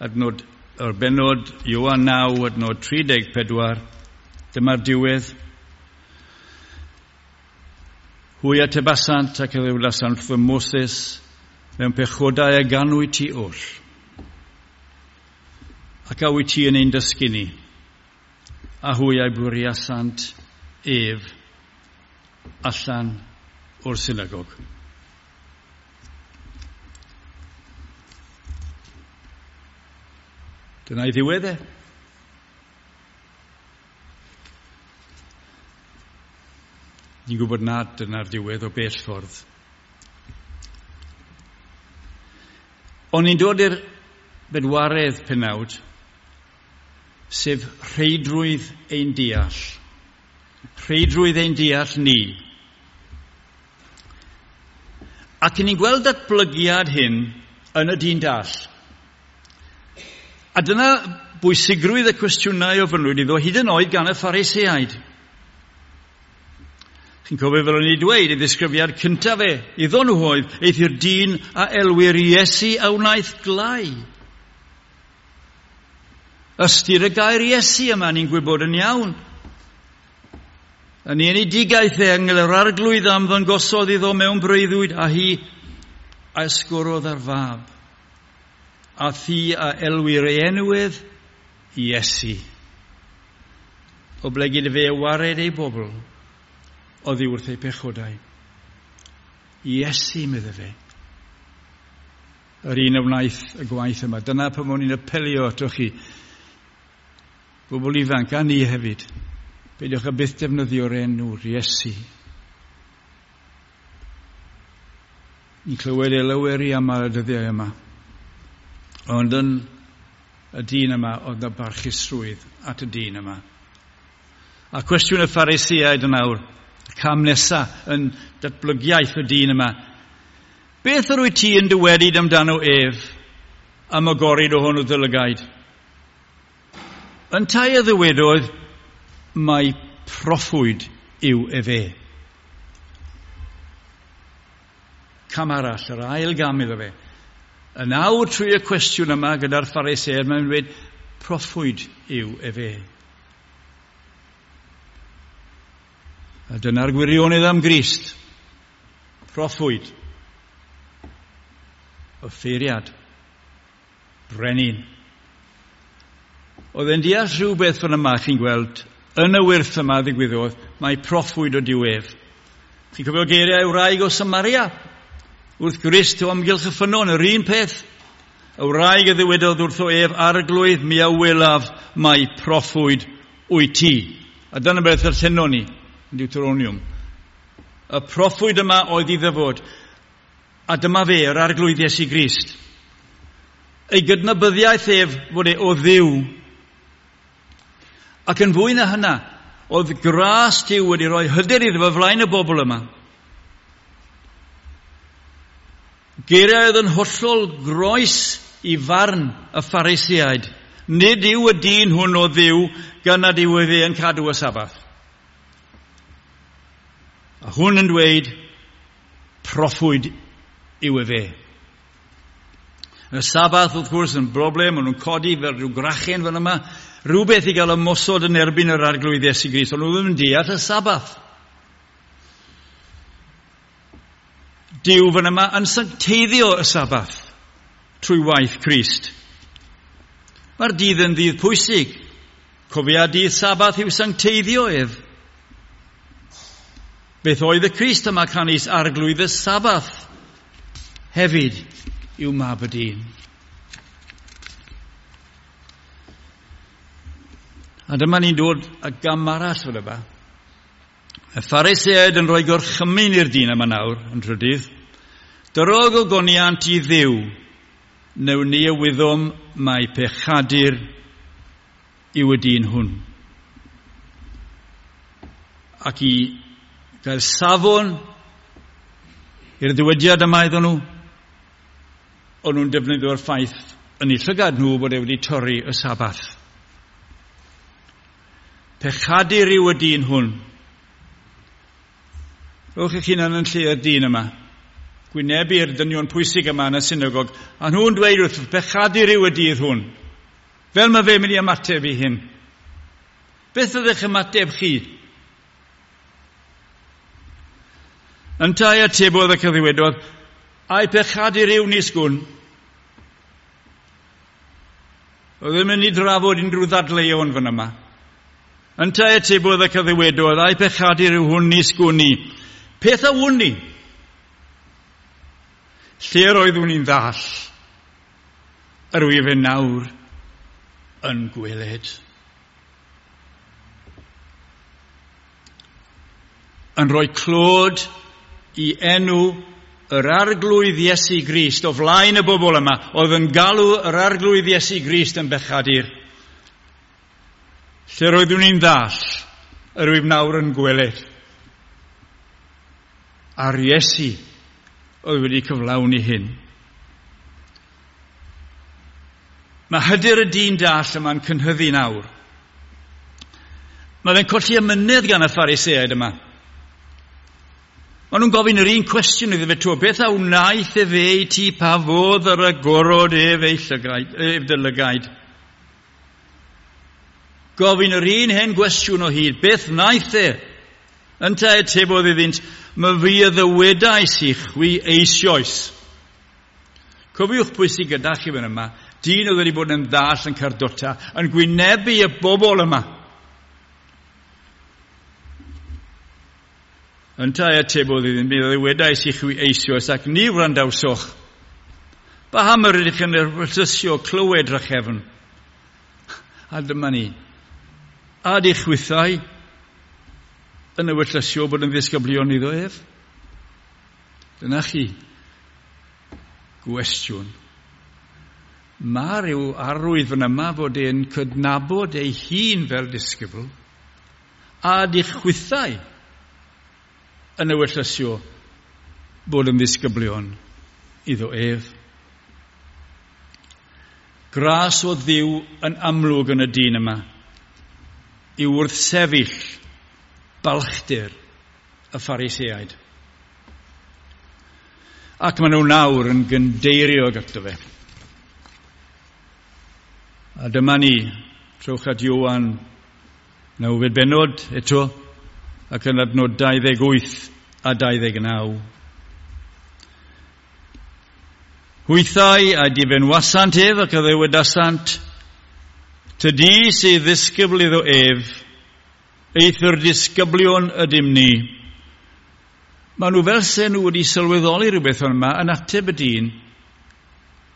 adnod, o'r benod Ioan naw, adnod tri deg pedwar. Dyma'r diwedd. Hwy atebasant ac a ddywedasant wrth Moses, mewn pechodau a ganwyd ti oll. Ac a wyt ti yn ein dysgu ni? A hwy a'i bwriasant ef allan o'r synagog. Dyna'i ddiwedd e. Ni'n gwybod nad dyna'r diwedd o bell ffordd. Ond ni'n dod i'r bedwaredd penawd, sef rheidrwydd ein deall. Rheidrwydd ein deall ni. Ac ni'n gweld datblygiad hyn yn y dyn dall. A dyna bwysigrwydd y cwestiynau ofynnwyd iddo hyd yn oed gan y Phariseaid. Chi'n cofio fel o'n i dweud, ei ddisgrifiad cyntaf e, iddo nhw oedd, eith i'r dyn a elwir Iesu a wnaeth glai. Ystyr y gair Iesu yma, ni'n gwybod yn iawn. Yn ei enedigaeth e, angel yr arglwydd am ddangosodd iddo mewn breuddwyd, a hi a esgorodd ar fab. A thi a elwir ei enwedd Iesu. Oblegid fe wared ei bobl oddi wrth ei pechodau. Iesu, medde fe. Yr un a wnaeth y gwaith yma. Dyna pan o'n i'n apelio atoch chi. Bobl ifanc, a ni hefyd. Peidiwch â byth defnyddio'r enw'r Iesu. Ni'n clywed e lawer i am ar y dyddiau yma. Ond yn y dyn yma, oedd na barchusrwydd at y dyn yma. A cwestiwn y Phariseaid yn awr, y cam nesaf yn datblygiaeth y dyn yma. Beth yr wyt ti yn dywedyd amdano ef am agorid ohono dy lygaid? Yntau a ddywedodd, mai proffwyd yw efe. Cam arall, yr ail gam iddo fe. Yn awr trwy y cwestiwn yma gyda'r Phariseaid, mae'n dweud, proffwyd yw efe. A dyna'r gwirionedd am Grist. Proffwyd. Offeiriad. Brenin. Oedd e'n deall rhywbeth fan yma, chi'n gweld, yn y wyrth yma ddigwyddodd, mae proffwyd o Duw ef. Chi'n cofio geiriau wraig o Samaria? Wrth Grist o amgylch y ffynnon, yr un peth. Y wraig a ddywedodd wrtho ef, arglwydd, mi a welaf mai proffwyd wyt ti. A dyna beth ddarllenon ni yn Deuteronomium. Y proffwyd yma oedd i ddyfod. A dyma fe, yr arglwydd Iesu Grist. Ei gydnabyddiaeth ef fod e o Dduw. Ac yn fwy na hynna, oedd gras Duw wedi rhoi hyder iddo fo flaen y bobl yma. Geiriau oedd yn hollol groes i farn y Phariseaid. Nid yw y dyn hwn o Dduw gan nad yw efe yn cadw y Sabath. A hwn yn dweud, proffwyd yw efe. Y Sabath, wrth gwrs, yn broblem, maen nhw'n codi fel rhyw grachen fan yma, rhywbeth i gael ymosod yn erbyn yr arglwydd Iesu Grist, ond nhw ddim yn deall y Sabath. Duw fan yma yn sancteiddio y Sabath trwy waith Crist. Mae'r dydd yn ddydd pwysig. Cofia dydd Sabath yw sancteiddio ef. Beth oedd y Crist yma canys arglwydd y Sabath hefyd yw mab y dyn. A dyma ni'n dod â gam arall fel yma. Y Phariseaid yn rhoi gorchymyn i'r dyn yma nawr, yn trydydd. Dyrog o goniant i Dduw, neu ni y wyddom mai pechadur yw y dyn hwn. Ac i gael safon i'r dywediad yma iddyn nhw, o'n nhw'n defnyddio'r ffaith yn eu llygad nhw bod e wedi torri y Sabath. Pechadur yw y dyn hwn. Rhowch eich hunan yn lle y dyn yma. Gwynebu'r dynion pwysig yma yn y synagog, a nhw'n dweud wrth pechadur yw y dydd hwn. Fel mae fe mynd i ymateb i hyn. Beth oedd eich ymateb chi? Yntau atebodd ac ddywedodd, ai pechadur yw nis gwn. Oedd ddim yn mynd i drafod unrhyw ddadleuon fan yma. Yntau atebodd ac ddywedodd, ai pechadur yw hwn nis gwn i. Peth a wn i. Lle roeddwn i'n ddall, yr wyf yn nawr yn gweled. Yn rhoi clod i enw yr Arglwydd Iesu Grist o flaen y bobl yma, oedd yn galw yr Arglwydd Iesu Grist yn bechadur. Lle roeddwn i'n ddall, yr wyf nawr yn gweled. A'r Iesu oedd wedi cyflawni hyn. Mae hyder y dyn dall yma'n cynhyddu nawr. Mae fe'n colli amynedd gan y Phariseaid yma. Maen nhw'n gofyn yr un cwestiwn iddo fe to, beth a wnaeth efe i ti pa fodd yr agorod ef ei llygaid, ef dy lygaid? Gofyn yr un hen gwestiwn o hyd, beth wnaeth e? Yntau atebodd iddynt, mae fi a ddywedais i chwi eisoes. Cofiwch pwy sydd gyda chi fan yma, dyn oedd wedi bod yn ddall yn cardota, yn gwynebu y bobl yma. Yntau atebodd iddynt, mi ddywedais i chwi eisoes ac ni wrandawsoch. Paham yr ydych yn ewyllysio clywed drachefn? A dyma ni. A di chwithau yn ewyllysio bod yn ddisgyblion iddo ef? Dyna chi. Gwestiwn. Mae rhyw arwydd fan yma fod e'n cydnabod ei hun fel disgybl a di chwithau yn ewyllysio bod yn ddisgyblion iddo ef. Gras o Dduw yn amlwg yn y dyn yma i wrthsefyll balchder y Phariseaid. Ac maen nhw nawr yn gyndeirio ato fe. A dyma ni, trowch at Ioan nawfed bennod eto, ac yn adnod dau ddeg wyth a dau ddeg naw. Hwythau a difenwasant ef ac a ddywedasant, tydi sydd ddisgybl iddo ef, eithr disgyblion ydym ni. Maen nhw fel se nhw wedi sylweddoli rhywbeth o'n yma yn ateb y dyn,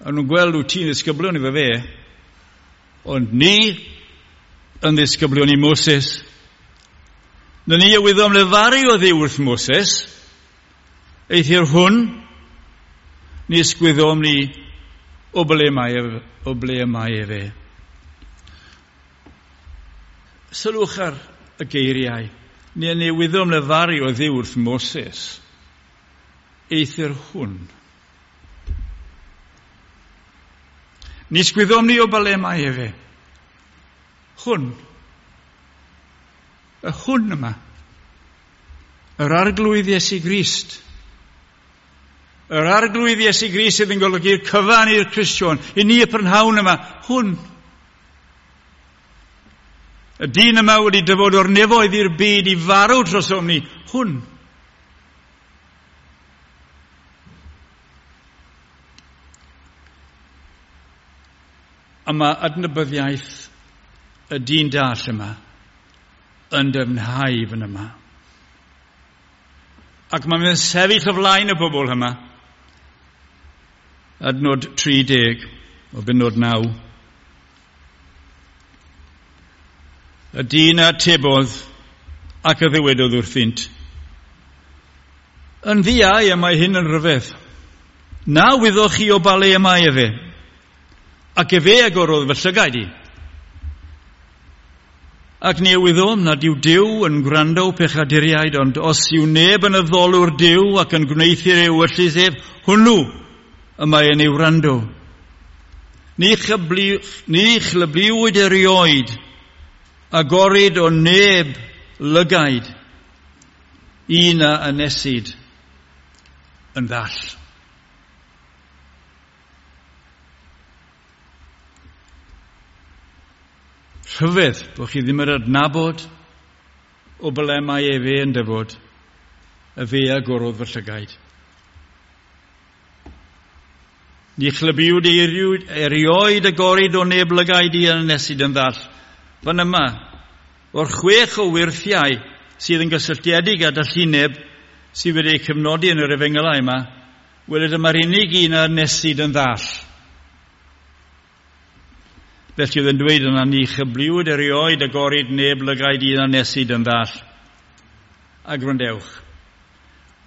a nhw'n gweld wyt ti'n ddisgyblion iddo fe, ond ni yn ddisgyblion i Moses. Na ni a wyddom lefaru o Dduw wrth Moses, eithr hwn, nis gwyddom ni o ble mae ef, o ble mae efe. Sylwch ar y geiriau. Ni ni wyddom lefaru o Dduw wrth Moses, eithr hwn. Nis gwyddom ni o ble mae efe. Hwn. Y hwn yma. Yr Arglwydd Iesu Grist. Yr Arglwydd Iesu Grist sydd yn golygu'r cyfan i'r Cristion, i ni y prynhawn yma, hwn. Y dyn yma wedi dyfod o'r nefoedd i'r byd i farw drosom ni, hwn. A mae adnabyddiaeth y dyn dall yma yn dyfnhau fan yma. Ac mae'n sefyll o flaen y bobl yma. Adnod tri deg o bennod naw. Y dyn a atebodd ac a ddywedodd wrthynt, yn ddiau y mae hyn yn rhyfedd. Na wyddoch chi o ba le y mae efe, ac efe agorodd fy llygaid i. Ac ni wyddom nad yw Duw yn gwrando pechaduriaid, ond os yw neb yn addolwr Duw ac yn gwneuthur ei ewyllys ef, hwnnw y mae yn ei wrando. Ni chlybliwyd erioed agorid o neb lygaid un a anesid yn ddall. Rhyfedd bod chi ddim yn adnabod o ble mae efe yn dyfod, y fe agorodd fy llygaid. Ni chlybiwyd erioed agorid o neb lygaid i anesid yn ddall. Fan yma, o'r chwech o wyrthiau sydd yn gysylltiedig â dallineb sydd wedi eu cyfnodi yn yr efengylau yma, wele dyma'r unig un a anesid yn ddall. Felly oedd yn dweud yna, ni chybliwyd erioed agorid neb lygaid un anesid yn ddall. A gwrandewch.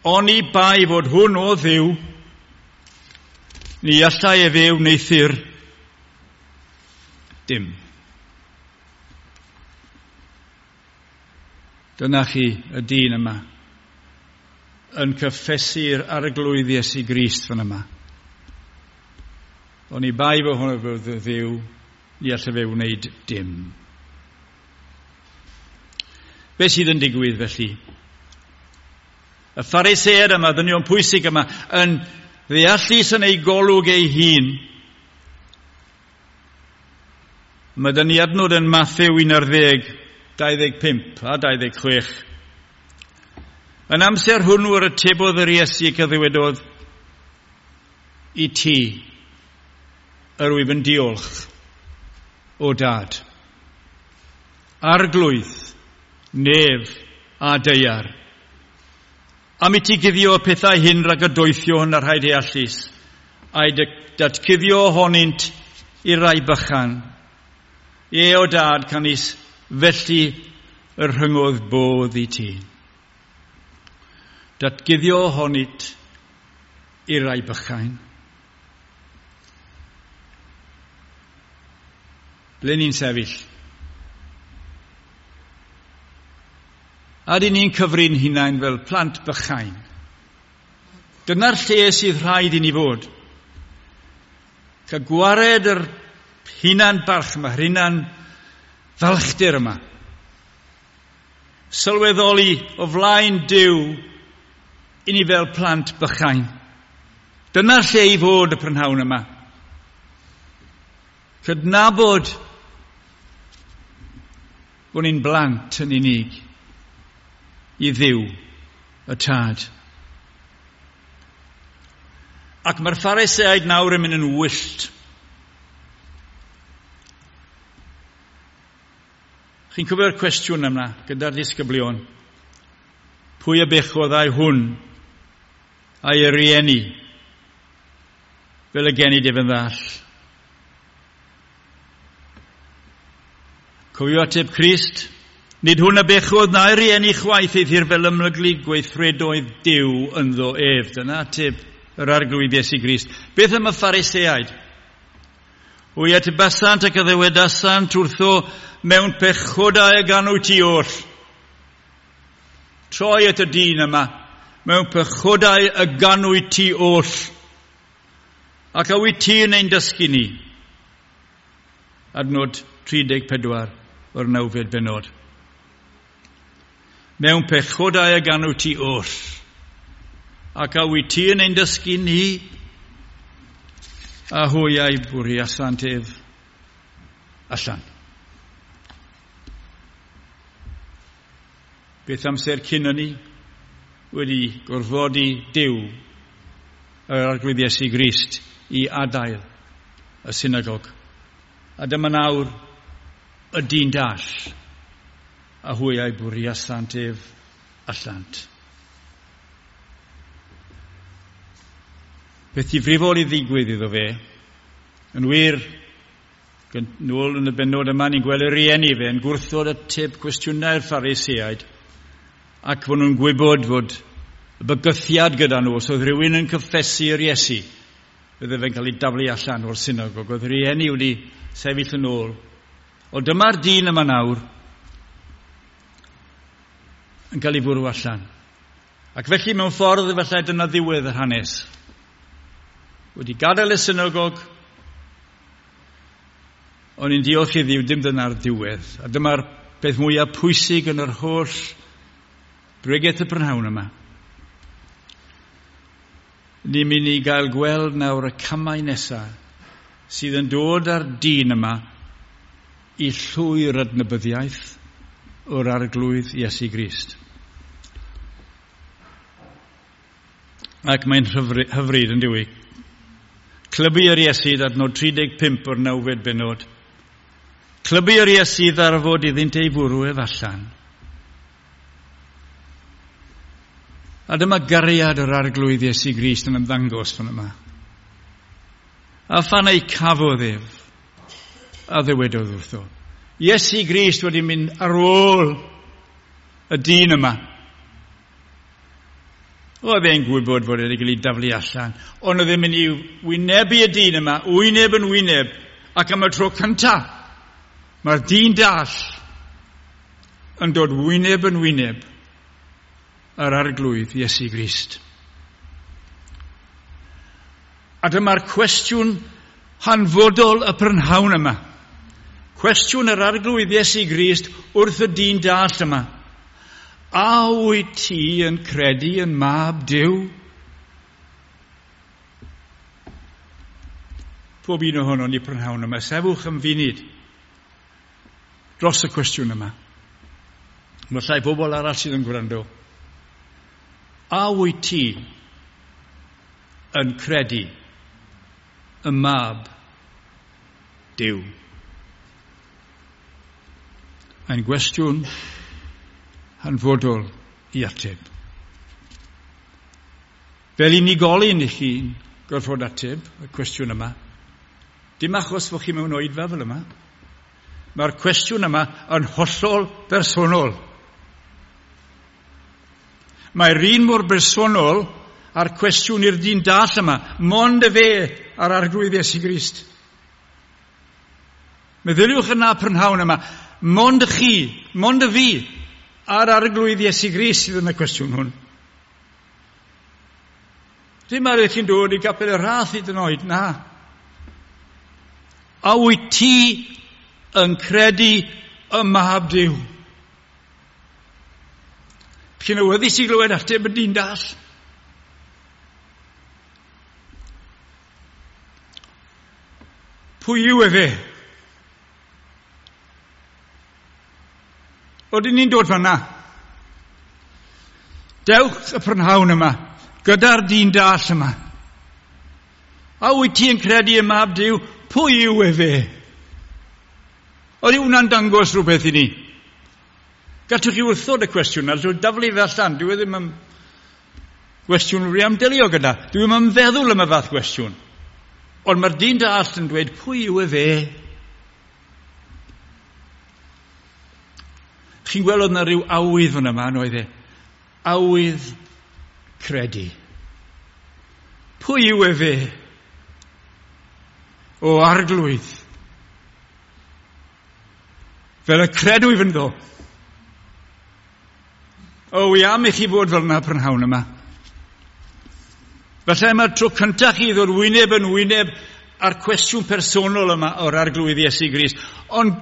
Oni bai fod hwn o Dduw, ni allai efe wneuthur dim. Dyna chi y dyn yma yn cyffesu'r Arglwydd Iesu Grist fan yma. Oni bai fod hwn o Dduw, ni allai fe wneud dim. Be sydd yn digwydd felly? Y Phariseaid yma, dynion pwysig yma, yn ddeallus yn ei golwg ei hun. Mae dyn ni adnod yn Mathew un ar ddeg, dau ddeg pump a dau ddeg chwech. Yn amser hwnnw yr atebodd yr Iesu ac a ddywedodd, i ti, yr wyf yn diolch, o Dad, Arglwydd, nef a daear, am i ti guddio y pethau hyn rhag y doethion a'r rhai deallus, a'i datguddio ohonynt i'r rai bychan. Ie, o Dad, canys felly yr rhyngodd bodd i ti. Datguddio ohonynt i'r rai bychain. Ble ni'n sefyll? A dyn ni'n cyfri'n hunain fel plant bychain. Dyna'r lle sydd rhaid i ni fod. Cael gwared yr hunan barch yma, yr hunan falchder yma. Sylweddoli o flaen Duw i ni fel plant bychain. Dyna'r lle i fod y prynhawn yma. Cydnabod bod ni'n blant yn unig i Dduw, y Tad. Ac mae'r Phariseaid nawr yn mynd yn wyllt. Chi'n cofio'r cwestiwn yma gyda'r disgyblion? Pwy y bechodd ai hwn a'i rieni fel y genid ef yn ddall? Cofio ateb Crist? Nid hwn a bechodd na'i rieni chwaith eithr fel ymlyglu gweithredoedd Duw ynddo ef. Dyna ateb yr Arglwydd Iesu Grist. Beth am y Phariseaid? Hwy atebasant ac a ddywedasant wrtho mewn pechodau y ganw ti oll. Troi at y dyn yma. Mewn pechodau y ganw ti oll. Ac a wyt ti yn ein dysgu ni? Adnod tri deg pedwar o'r nawfed bennod. Mewn pechodau y ganw ti oll. Ac a wyt ti yn ein dysgu ni? A hwy a'i bwriasant ef allan. Beth amser cyn hynny wedi gorfodi Duw yr Arglwydd Iesu Grist i adael y synagog. A dyma nawr y dyn dall, a hwy a'i bwriasant ef allant. Beth difrifol i ddigwydd iddo fe, yn wir, nôl yn y bennod yma, ni'n gweld y rieni fe yn gwrthod ateb cwestiynau'r Phariseaid, ac fod nhw'n gwybod fod y bygythiad gyda nhw, os oedd rhywun yn cyffesu'r Iesu, bydde fe'n cael ei daflu allan o'r synagog. Oedd rieni wedi sefyll yn ôl. O dyma'r dyn yma nawr yn cael ei fwrw allan. Ac felly mewn ffordd efallai dyna ddiwedd yr hanes. Wedi gadael y synagog, o'n i'n diolch i Dduw, dim dyna'r diwedd. A dyma'r peth mwyaf pwysig yn yr holl bregeth y prynhawn yma. Ni'n mynd i gael gweld nawr y camau nesaf sydd yn dod â'r dyn yma i llwyr adnabyddiaeth o'r Arglwydd Iesu Grist. Ac mae'n hyfryd yn dyw. Clybu yr Iesu adnod tri deg pump o'r nawfed bennod. Clybu yr Iesu ddarfod iddynt ei fwrw ef allan. A dyma gariad yr Arglwydd Iesu Grist yn ymddangos fan yma. A phan ei cafodd ef, a ddywedodd wrtho. Iesu Grist wedi mynd ar ôl y dyn yma. Oedd e'n gwybod fod wedi cael ei daflu allan, ond oedd e'n mynd i wynebu y dyn yma, wyneb yn wyneb, ac am y tro cyntaf, mae'r dyn dall yn dod wyneb yn wyneb ar Arglwydd Iesu Grist. A dyma'r cwestiwn hanfodol y prynhawn yma. Cwestiwn yr Arglwydd Iesu Grist wrth y dyn dall yma. A wyt ti yn credu yn Mab Duw? Pob un ohono ni prynhawn yma, sefwch am funud dros y cwestiwn yma. Mae llai bobl arall sydd yn gwrando. A wyt ti yn credu y Mab Duw? Mae'n gwestiwn hanfodol i ateb. Fel unigolyn i chi'n gorfod ateb y cwestiwn yma. Dim achos fod chi mewn oedfa fel yma. Mae'r cwestiwn yma yn hollol bersonol. Mae'r un mor bersonol a'r cwestiwn i'r dyn dall yma. Mond y fe a'r Arglwydd Iesu Grist. Meddyliwch yna prynhawn yma. Mond y chi, mond y fi, a'r Arglwydd Iesu Grist sydd yn y cwestiwn hwn. Dim ar eich chi'n dod i gapel y Rhath hyd yn oed, na. A wyt ti yn credu y Mab Duw? Chi'n awyddus i glywed ateb y dyn dall? Pwy yw efe? Odyn ni'n dod fanna? Dewch y prynhawn yma, gyda'r dyn dall yma. A wyt ti yn credu y Mab Duw? Pwy yw efe? Oedd hwnna'n dangos rhywbeth i ni? Gallwch chi wrthod y cwestiwn, a drwy daflu fe allan. Dwi ddim yn gwestiwn rwy am delio gyda. Dwi ddim yn feddwl am y fath gwestiwn. Ond mae'r dyn dall yn dweud, pwy yw efe? Chi'n gweld oedd yna rhyw awydd fan yma, oedd e? Awydd credu. Pwy yw efe? O Arglwydd. Fel y credw i fynddo. O, wi am i chi fod fel yna prynhawn yma. Falle mae'r tro cyntaf chi ddod wyneb yn wyneb a'r cwestiwn personol yma o'r Arglwydd Iesu Grist. Ond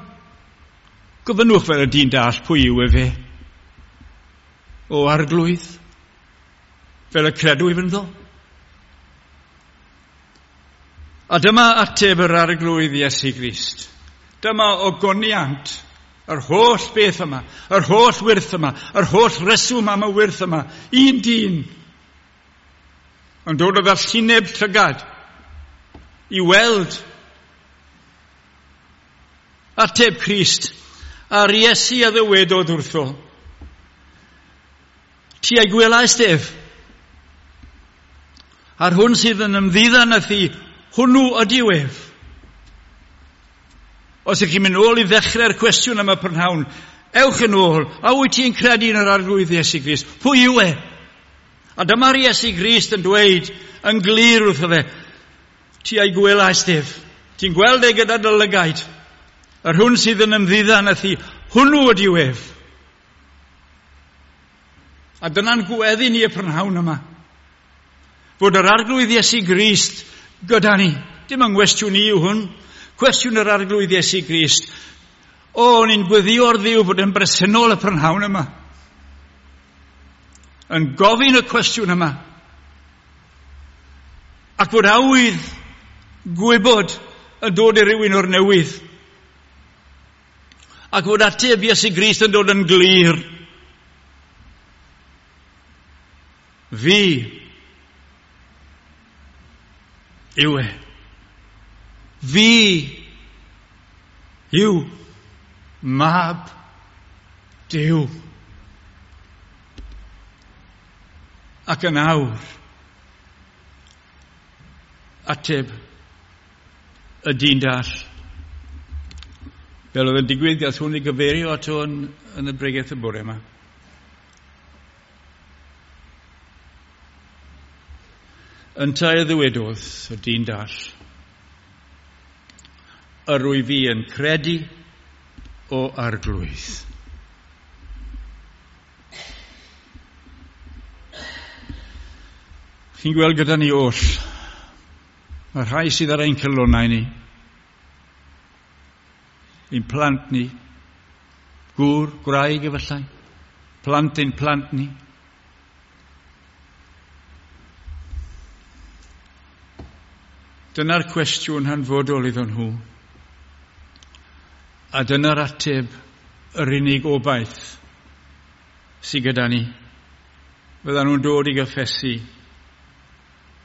gofynnwch fel y dyn dall, pwy yw efe? O Arglwydd, fel y credw i fynddo. A dyma ateb yr Arglwydd Iesu Grist. Dyma ogoniant yr holl beth yma, yr holl wyrth yma, yr holl reswm am y wyrth yma. Un dyn yn dod o ddallineb llygad i weld ateb Crist. A'r Iesu a ddywedodd wrtho, ti a'i gwelaist ef, a'r hwn sydd yn ymddiddan â thi, hwnnw ydyw ef. Os ydych chi'n mynd ôl i ddechrau'r cwestiwn am y prynhawn, ewch yn ôl, a wyt ti'n credu yn yr Arglwydd Iesu Grist? Pwy yw e? A dyma'r Iesu Grist yn dweud yn glir wrtho fe, ti a'i gwelaist ef, ti'n gweld e gyda dy lygaid, yr hwn sydd yn ymddiddan â thi, hwnnw ydyw ef. A dyna'n gweddi ni y prynhawn yma. Fod yr Arglwydd Iesu Grist gyda ni. Dim yng nghwestiwn i yw hwn. Cwestiwn yr Arglwydd Iesu Grist. O, ni'n gweddio ar Dduw fod yn bresennol y prynhawn yma. Yn gofyn y cwestiwn yma. Ac fod awydd gwybod yn dod i rywun o'r newydd. Ac fod ateb Iesu Grist yn dod yn glir. Fi yw e. Fi yw Mab Duw. Ac yn awr, ateb y dyn dall. Fel oedd yn digwydd, gath hwn i gyfeirio ato yn, yn y bregeth y bore yma. Yntau y ddywedodd y dyn dall, yr wyf fi yn credu o Arglwydd. Chi'n gweld gyda ni oll, mae rhai sydd ar ein calonnau ni, ein plant ni, gŵr, gwraig efallai, plant ein plant ni. Dyna'r cwestiwn hanfodol iddyn nhw. A dyna'r ateb, yr unig obaith sydd gyda ni. Fyddan nhw'n dod i gyffesu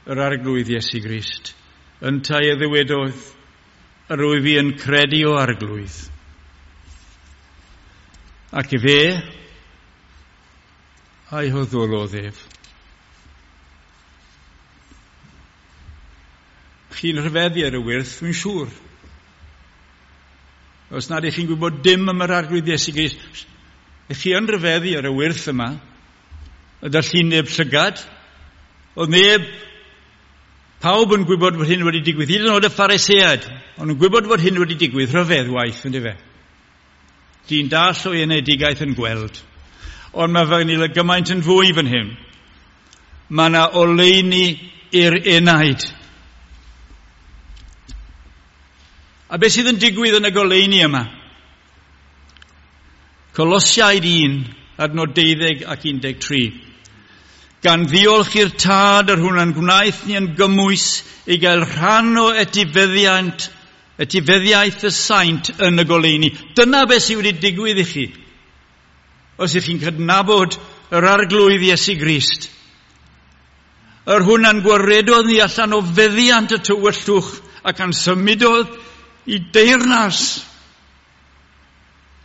yr Arglwydd Iesu Grist. Yntau y ddywedodd, yr wyf fi yn credu o Arglwydd. Ac i fe, a'i hoddolodd ef. Chi'n rhyfeddu ar y wyrth, dwi'n siŵr. Os nad ych chi'n gwybod dim am yr Arglwydd Iesu Grist, ych chi yn rhyfeddu ar y wyrth yma, y dallineb llygad, oedd neb, pawb yn gwybod bod hyn wedi digwydd, hyd yn oed y Phariseaid, ond yn gwybod bod hyn wedi digwydd, rhyfedd waith, ynddo fe. Dyn dall o'i enedigaeth yn gweld. Ond mae fy nil gymaint yn fwy fan hyn. Mae yna oleuni i'r enaid. A beth sydd yn digwydd yn y goleuni yma? Colosiaid un, adnod deuddeg ac un deg tri. Gan ddiolch i'r Tad yr hwn a'n gwnaeth ni yn gymwys i gael rhan o etifeddiant, etifeddiaeth y saint yn y goleuni. Dyna beth sydd wedi digwydd i chi. Os ych chi'n cydnabod yr Arglwydd Iesu Grist. Yr hwn a'n gwaredodd ni allan o feddiant y tywyllwch ac a'n symudodd i deyrnas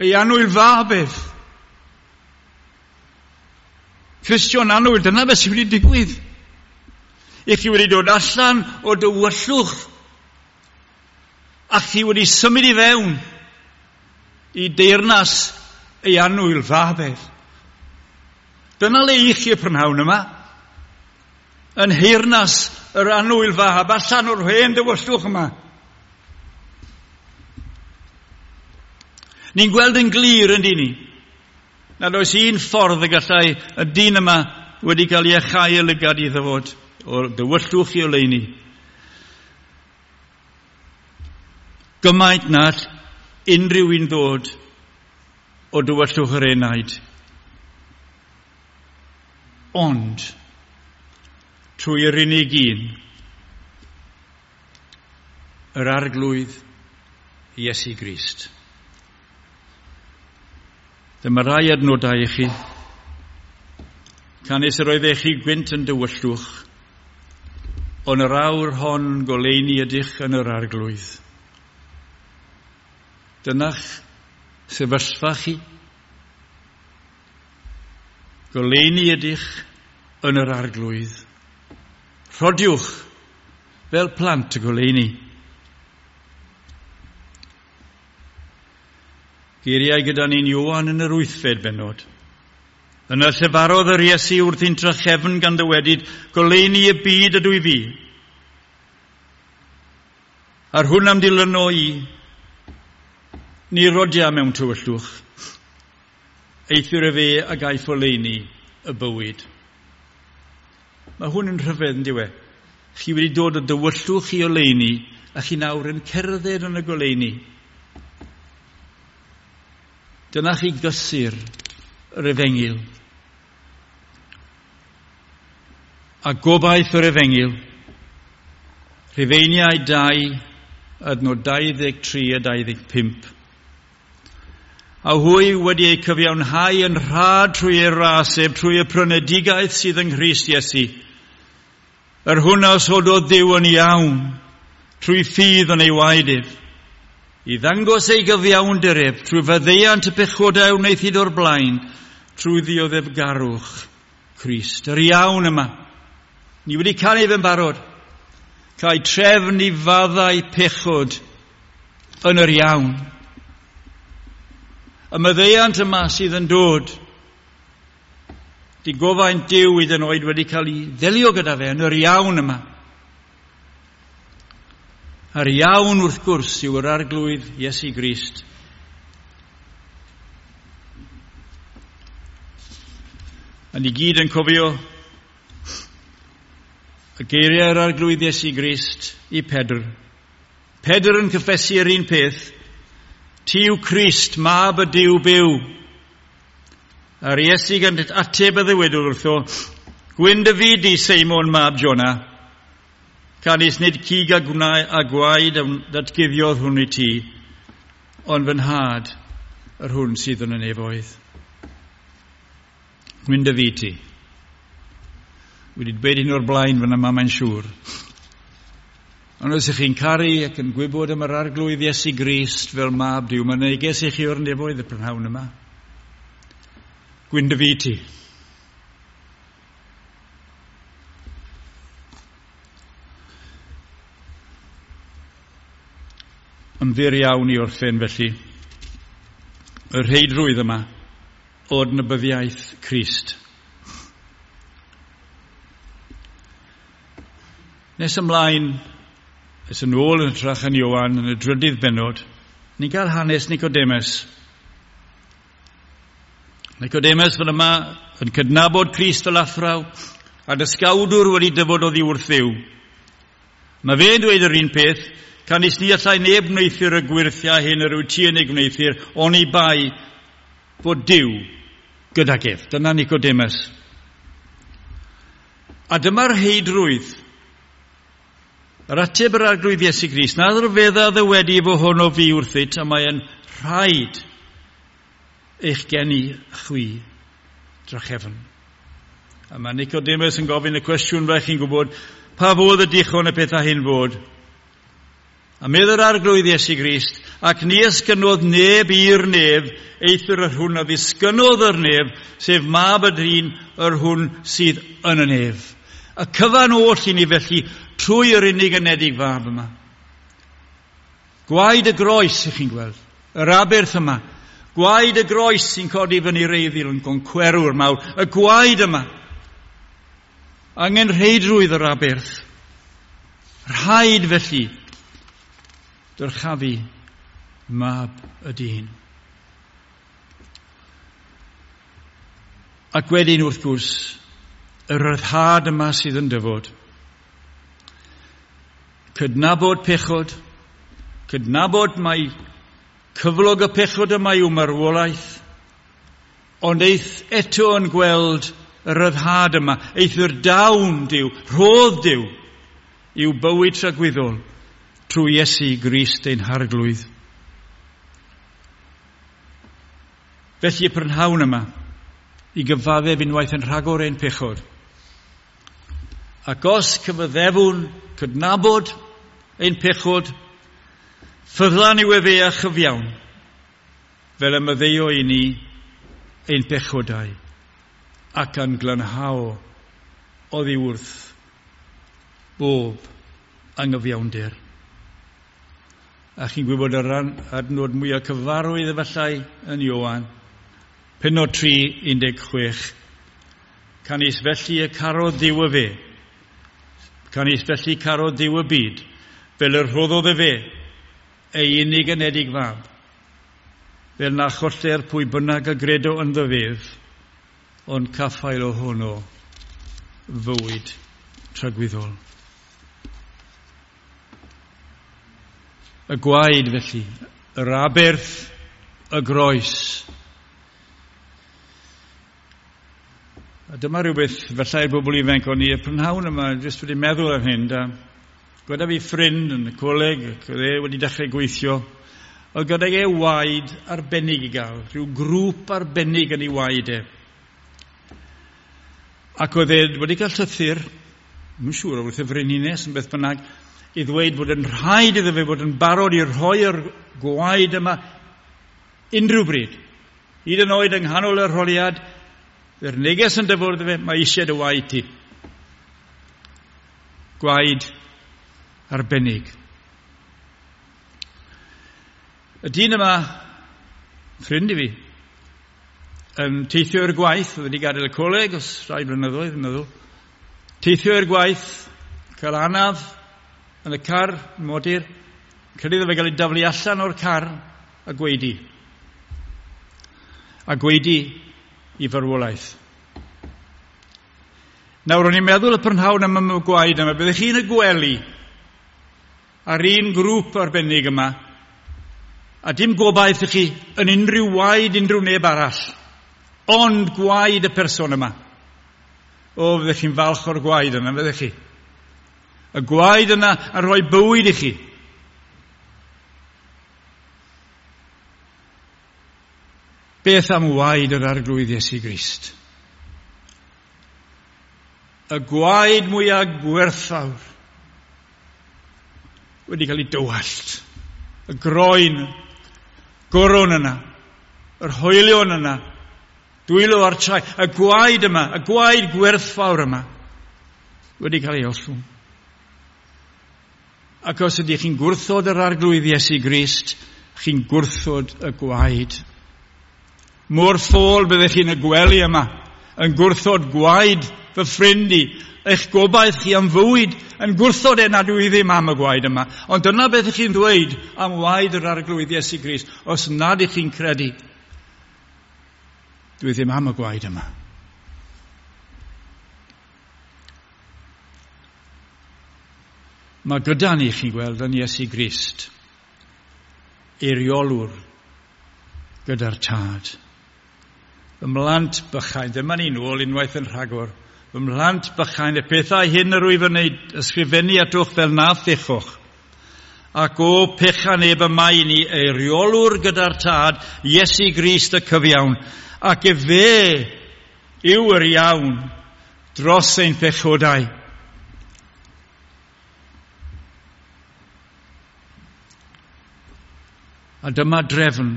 ei annwyl fab ef. Cristion annwyl, dyna beth sydd wedi digwydd. I chi wedi dod allan o dywyllwch a chi wedi symud i fewn i deyrnas ei annwyl fab ef. Dyna le i chi y prynhawn yma. Yn nheyrnas yr annwyl fab, allan o'r hen dywyllwch yma. Ni'n gweld yn glir yn dyn ni nad oes un ffordd y gallai y dyn yma wedi cael ei achau y lygad i ddyfod o'r dywyllwch i oleuni. Gymaint na all unrhyw un ddod o dywyllwch yr enaid. Ond, trwy yr unig un, yr Arglwydd Iesu Grist. Dyma rai adnodau i chi. Canys yr oeddech chi gwynt yn dywyllwch, ond yr awr hon goleuni ydych yn yr Arglwydd. Dyna'ch sefyllfa chi. Goleuni ydych yn yr Arglwydd. Rhodiwch fel plant y goleuni. Geiriau gyda ni'n Ioan yn yr wythfed bennod. Yna llefarodd yr Iesu wrthi'n trachefn gan ddywedyd, goleuni y byd ydw i fi. A'r hwn am dilyno i, ni rodia mewn tywyllwch. Eithr y fe a gaiff oleuni y bywyd. Mae hwn yn rhyfedd, yn dyw e? Chi wedi dod o dywyllwch i oleuni, a chi nawr yn cerdded yn y goleuni. Dyna chi gysur yr efengyl. A gobaith yr efengyl. Rhufeiniau dau, adnod dau ddeg tri a dau ddeg pump. A hwy wedi eu cyfiawnhau yn rhad trwy ei ras, sef trwy y prynedigaeth sydd yng Nghrist Iesu. Yr hwn a osododd Dduw yn iawn, trwy ffydd yn ei waed ef, i ddangos ei gyfiawnder ef, trwy faddeuant y pechodau wnaethid o'r blaen, trwy ddioddefgarwch Crist. Yr iawn yma. Ni wedi canu fe'n barod. Cael trefn i faddau pechod yn yr iawn. Y maddeuant yma sydd yn dod, digofaint Duw hyd yn oed wedi cael ei ddelio gyda fe yn yr iawn yma. A'r iawn wrth gwrs yw yr Arglwydd Iesu Grist. A ni gyd yn cofio y geiriau'r Arglwydd Iesu Grist i Pedr. Pedr yn cyffesu yr un peth. Ti yw Crist, mab y Duw byw. A'r Iesu gan ateb y ddywedodd wrtho, Gwyn dy fyd di, Seimon, mab Jona. Canys nid cig a gwnau a gwaed ddatguddiodd hwn i ti, ond fy nhad, yr hwn sydd yn y nefoedd. Gwyn dy fyd ti. Wedi dweud hyn o'r blaen fan yma, mae'n siŵr. Ond os ych chi'n caru ac yn gwybod am yr Arglwydd Iesu Grist fel mab Duw, mae'n neges i chi o'r nefoedd y prynhawn yma. Gwyn dy fyd ti. Yn fyr iawn i orffen felly, y rheidrwydd yma o adnabyddiaeth Crist. Nes ymlaen, es yn ôl yn hytrach yn Ioan yn y drydydd bennod, ni'n cael hanes Nicodemus. Nicodemus fan yma yn cydnabod Crist fel athraw a dysgawdwr wedi dyfod oddi wrth Dduw. Mae fe'n dweud yr un peth, canys ni allai neb wneuthur y gwyrthiau hyn yr wyt ti yn ei gwneuthur, oni bai fod Duw gydag ef. Dyna Nicodemus. A dyma'r heidrwydd. Yr ateb yr Arglwydd Iesu Grist, na rhyfedda ddywedi fo hwn o fi wrthyt, a mae'n rhaid eich geni chwi drachefn. A mae Nicodemus yn gofyn y cwestiwn fel chi'n gwybod, pa fodd y dichon y pethau hyn fod? A medd yr Arglwydd Iesu Grist, ac ni esgynodd neb i'r nef, eithr yr hwn a ddisgynnodd yr nef, sef mab y dyn yr hwn sydd yn y nef. Y cyfan oll i ni felly, trwy yr unig anedig fab yma. Gwaed y groes, ych chi'n gweld, yr aberth yma. Gwaed y groes sy'n codi fyny'r eiddil yn goncwerwr mawr. Y gwaed yma. Angenrheidrwydd yr aberth. Rhaid felly dyrchafu mab y dyn. Ac wedyn wrth gwrs, y ryddhad yma sydd yn dyfod. Cydnabod pechod, cydnabod mai cyflog y pechod yma yw marwolaeth, ond eith eto yn gweld y ryddhad yma, eithr dawn Duw, rhodd Duw, i'w bywyd tragwyddol trwy Iesu Grist ein Harglwydd. Felly y prynhawn yma, i gyfaddef unwaith yn rhagor ein pechod. Ac os cyfaddefwn cydnabod ein pechod, ffyddlan yw efe a chyfiawn, fel y maddeuo i ni ein pechodau, ac yn glanhao oddi wrth bob angyfiawnder. A chi'n gwybod yr adnod mwyaf cyfarwydd efallai yn Ioan, pennod tri, un deg chwech. Canys felly y carodd Duw y fe, canys felly carodd Duw y byd, fel y rhoddodd y fe, ei unig anedig fab, fel na choller pwy bynnag a gredo ynddo fef, ond caffael ohono fywyd tragwyddol. Y gwaed felly, yr aberth, y groes, A dyma rhywbeth falle i'r bobl ifanc o'n i y prynhawn yma, jyst wedi meddwl am hyn. Da. Gyda fi ffrind yn y coleg, ac oedd e wedi dechrau gweithio. Oedd gydag e waed arbennig i gael, rhyw grŵp arbennig yn ei waed e. Ac oedd e wedi cael llythyr, ddim yn siŵr o wrth y frenhines yn beth bynnag, i ddweud bod yn rhaid iddo fe fod yn barod i rhoi'r gwaed yma unrhyw bryd. Hyd yn oed yng nghanol yr holiad, yr neges yn dyfod iddo fe, mae eisiau dy waed ti. Gwaed arbennig. Y dyn yma, ffrind i fi, yn teithio i'r gwaith, oedd wedi gadael y coleg os rhai blynyddoedd, yn meddwl. Teithio i'r gwaith, cael anaf yn y car, modur, credu iddo fe gael ei daflu allan o'r car a gweidi. A gweidi i farwolaeth. Nawr, o'n i'n meddwl y prynhawn am y gwaed yma, byddech chi'n y gwely ar un grŵp arbennig yma, a dim gobaith i chi yn unrhyw waed unrhyw neb arall, ond gwaed y person yma. O, fyddech chi'n falch o'r gwaed yna, fyddech chi. Y gwaed yna yn rhoi bywyd i chi. Beth am waed yr Arglwydd Iesu Grist? Y gwaed mwyaf gwerthfawr wedi cael ei dywallt. Y groen, goron yna, yr hoelion yna, dwylo a'r trai, y gwaed yma, y gwaed gwerthfawr yma, wedi cael ei ollwng. Ac os ydych chi'n gwrthod yr Arglwydd Iesu Grist, chi'n gwrthod y gwaed. Mor ffôl byddech chi'n y gwely yma, yn gwrthod gwaed fy ffrind i, eich gobaith chi am fywyd, yn gwrthod e nad yw i ddim am y gwaed yma. Ond dyna beth ych chi'n ddweud am waed yr Arglwydd Iesu Grist, os nad ych chi'n credu, dwi ddim am y gwaed yma. Mae gyda ni, chi'n gweld, yn Iesu Grist, eiriolwr gyda'r Tad. Fy mhlant bychain, dyma ni nôl unwaith yn rhagor. Fy mhlant bychain, y pethau hyn yr wyf yn ei ysgrifennu atwch fel na phechwch. Ac o pecha neb y mae ni eiriolwr gyda'r Tad, Iesu Grist y cyfiawn. Ac efe yw yr iawn dros ein pechodau. A dyma drefn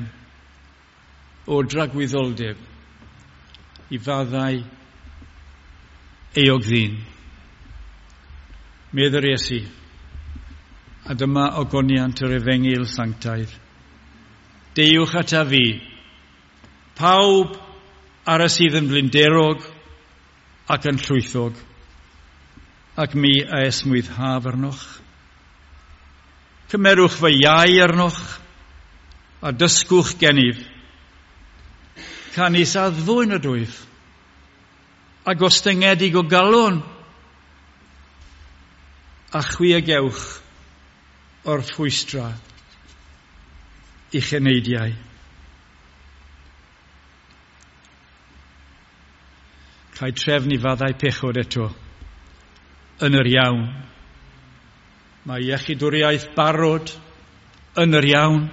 o dragwyddoldeb i faddau euog ddyn. Medd yr Iesu, a dyma ogoniant yr Efengyl sanctaidd. Deuwch ata fi, pawb ar y sydd yn flinderog ac yn llwythog, ac mi a esmwythaf arnoch. Cymerwch fy iau arnoch, a dysgwch gennyf. Canys addfwyn ydwyf, a gostyngedig o galon, a chwi a gewch o'r ffwystra i'ch eneidiau. Cael trefn i faddau pechod eto, yn yr iawn. Mae iechydwriaeth barod yn yr iawn.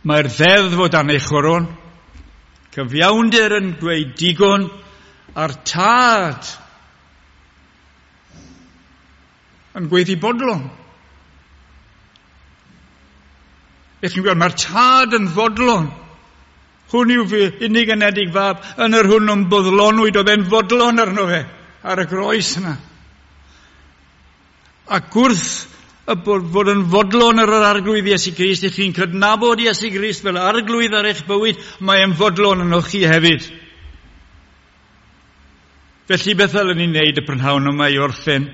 Mae'r ddeddf o dan ei choron. Cyfiawnder yn dweud digon, a'r Tad yn gweiddi bodlon. Beth chi'n gweld, mae'r Tad yn fodlon. Hwn yw fy unig anedig fab, yn yr hwn yn boddlonwyd, oedd e'n fodlon arno fe, ar y groes yna. Ac wrth y bod yn fodlon ar yr Arglwydd Iesu Grist, ych chi'n cydnabod Iesu Grist fel Arglwydd ar eich bywyd, mae e'n fodlon ynoch chi hefyd. Felly beth ddylen ni wneud y prynhawn yma i orffen?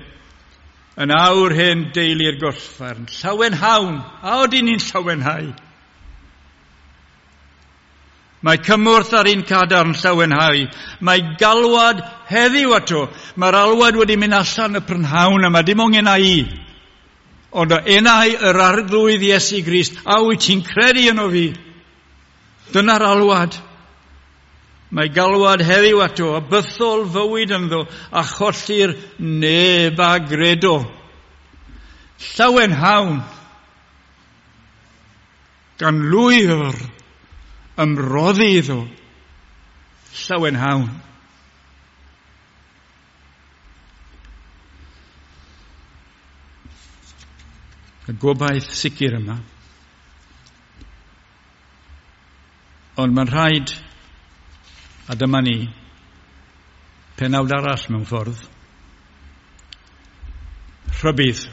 Yn awr hen deulu'r gorffarn, llawenhawn, a odyn ni'n llawenhau? Mae cymorth ar un cadarn llawenhau. Mae galwad heddiw ato. Mae'r alwad wedi mynd allan y prynhawn yma, dim ond enau i. Ond o enau yr Arglwydd Iesu Grist, a wyt ti'n credu yno fi? Dyna'r alwad. Mae galwad heddiw ato, a bythol fywyd ynddo, a cholli'r neb a gredo. Llawenhawn, gan lwyr ymroddi iddo. Llawenhawn. Y gobaith sicr yma. Ond mae'n rhaid, a dyma ni, penawd arall mewn ffordd, rhybudd.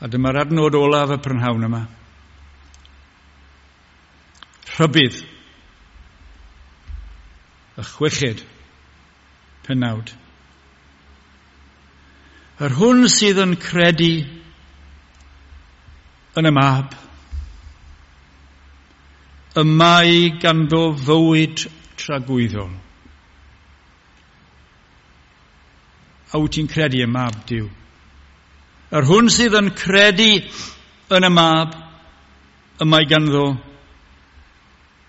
A dyma'r adnod olaf y prynhawn yma. Rhybudd. Y chweched penawd. Yr hwn sydd yn credu yn y mab, y mae ganddo fywyd tragwyddol. A wyt ti'n credu y mab Duw? Yr hwn sydd yn credu yn y mab, y mae ganddo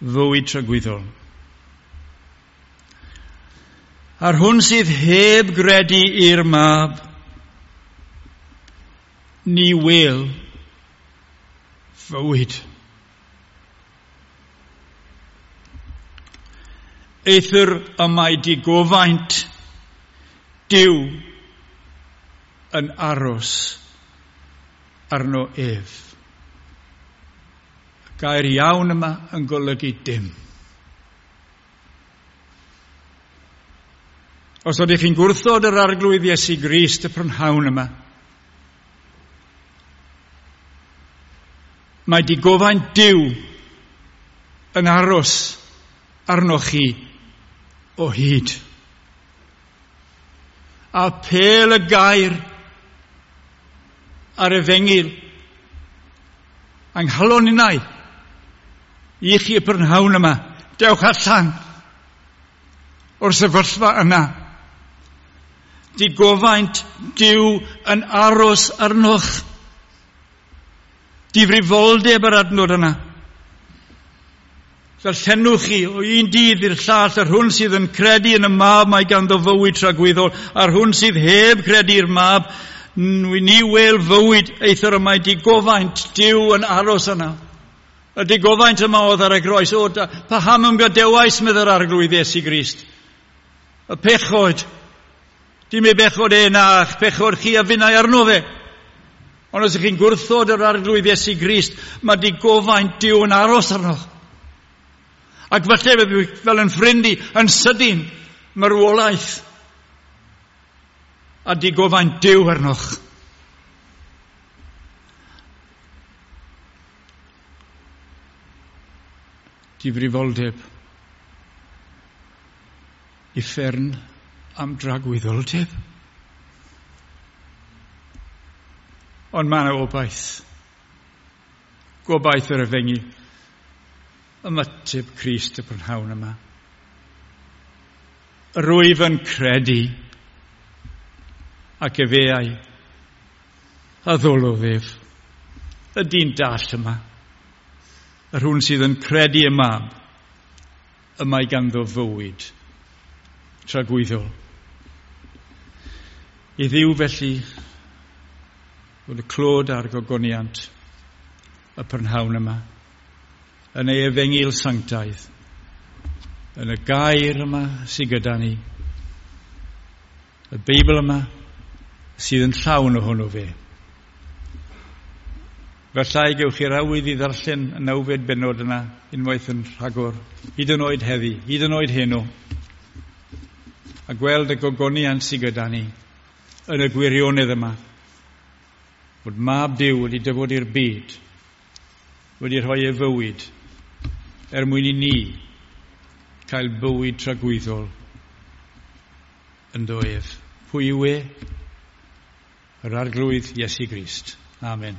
fywyd tragwyddol. A'r hwn sydd heb gredu i'r mab, ni wel fywyd. Eithr y mae digofaint Duw yn aros arno ef. Y gair iawn yma yn golygu dim. Os ydych chi'n gwrthod yr Arglwydd Iesu Grist y prynhawn yma, mae digofaint Duw yn aros arnoch chi o hyd. Apêl y gair a'r efengyl yng nghalon innau i chi y prynhawn yma, dewch allan o'r sefyllfa yna. Digofaint Duw yn aros arnoch. Difrifoldeb yr adnod yna. Darllenwch chi o un dydd i'r llall, yr hwn sydd yn credu yn y mab mae ganddo fywyd tragwyddol, a'r hwn sydd heb credu i'r mab, ni wel fywyd, eithr y mae digofaint Duw yn aros yna. Y digofaint yma oedd ar y groes. O, da, paham ym gadewais, meddai'r Arglwydd Iesu Grist. Y pechod. Dim ei bechod e na'ch pechod chi a finnau arno fe. Ond os ydych chi'n gwrthod yr Arglwydd Iesu Grist, mae digofaint Duw yn aros arno. Ac falle fel yn ffrind i, yn sydyn, marwolaeth a digofaint Duw arnoch. Difrifoldeb. Uffern am dragwyddoldeb. Ond mae yna obaith. Gobaith yr efengyl. Ymateb Crist y prynhawn yma. Rwyf yn credu ac efeau a ddolodd ef. Y dyn dall yma. Yr hwn sydd yn credu y mab, y mae ganddo fywyd tragwyddol. I Dduw felly fod y clod a'r gogoniant y prynhawn yma, yn ei efengyl sanctaidd, yn y gair yma sydd gyda ni, y Beibl yma sydd yn llawn ohono fe. Fallai gewch chi'r awydd i ddarllen y nawfed bennod yna unwaith yn rhagor, hyd yn oed heddi, hyd yn oed heno, a gweld y gogoniant sydd gyda ni yn y gwirionedd yma, bod Mab Duw wedi dyfod i'r byd, wedi rhoi ei fywyd, er mwyn i ni cael bywyd tragwyddol ynddo ef. Pwy yw e? Yr Arglwydd Iesu Grist. Amen.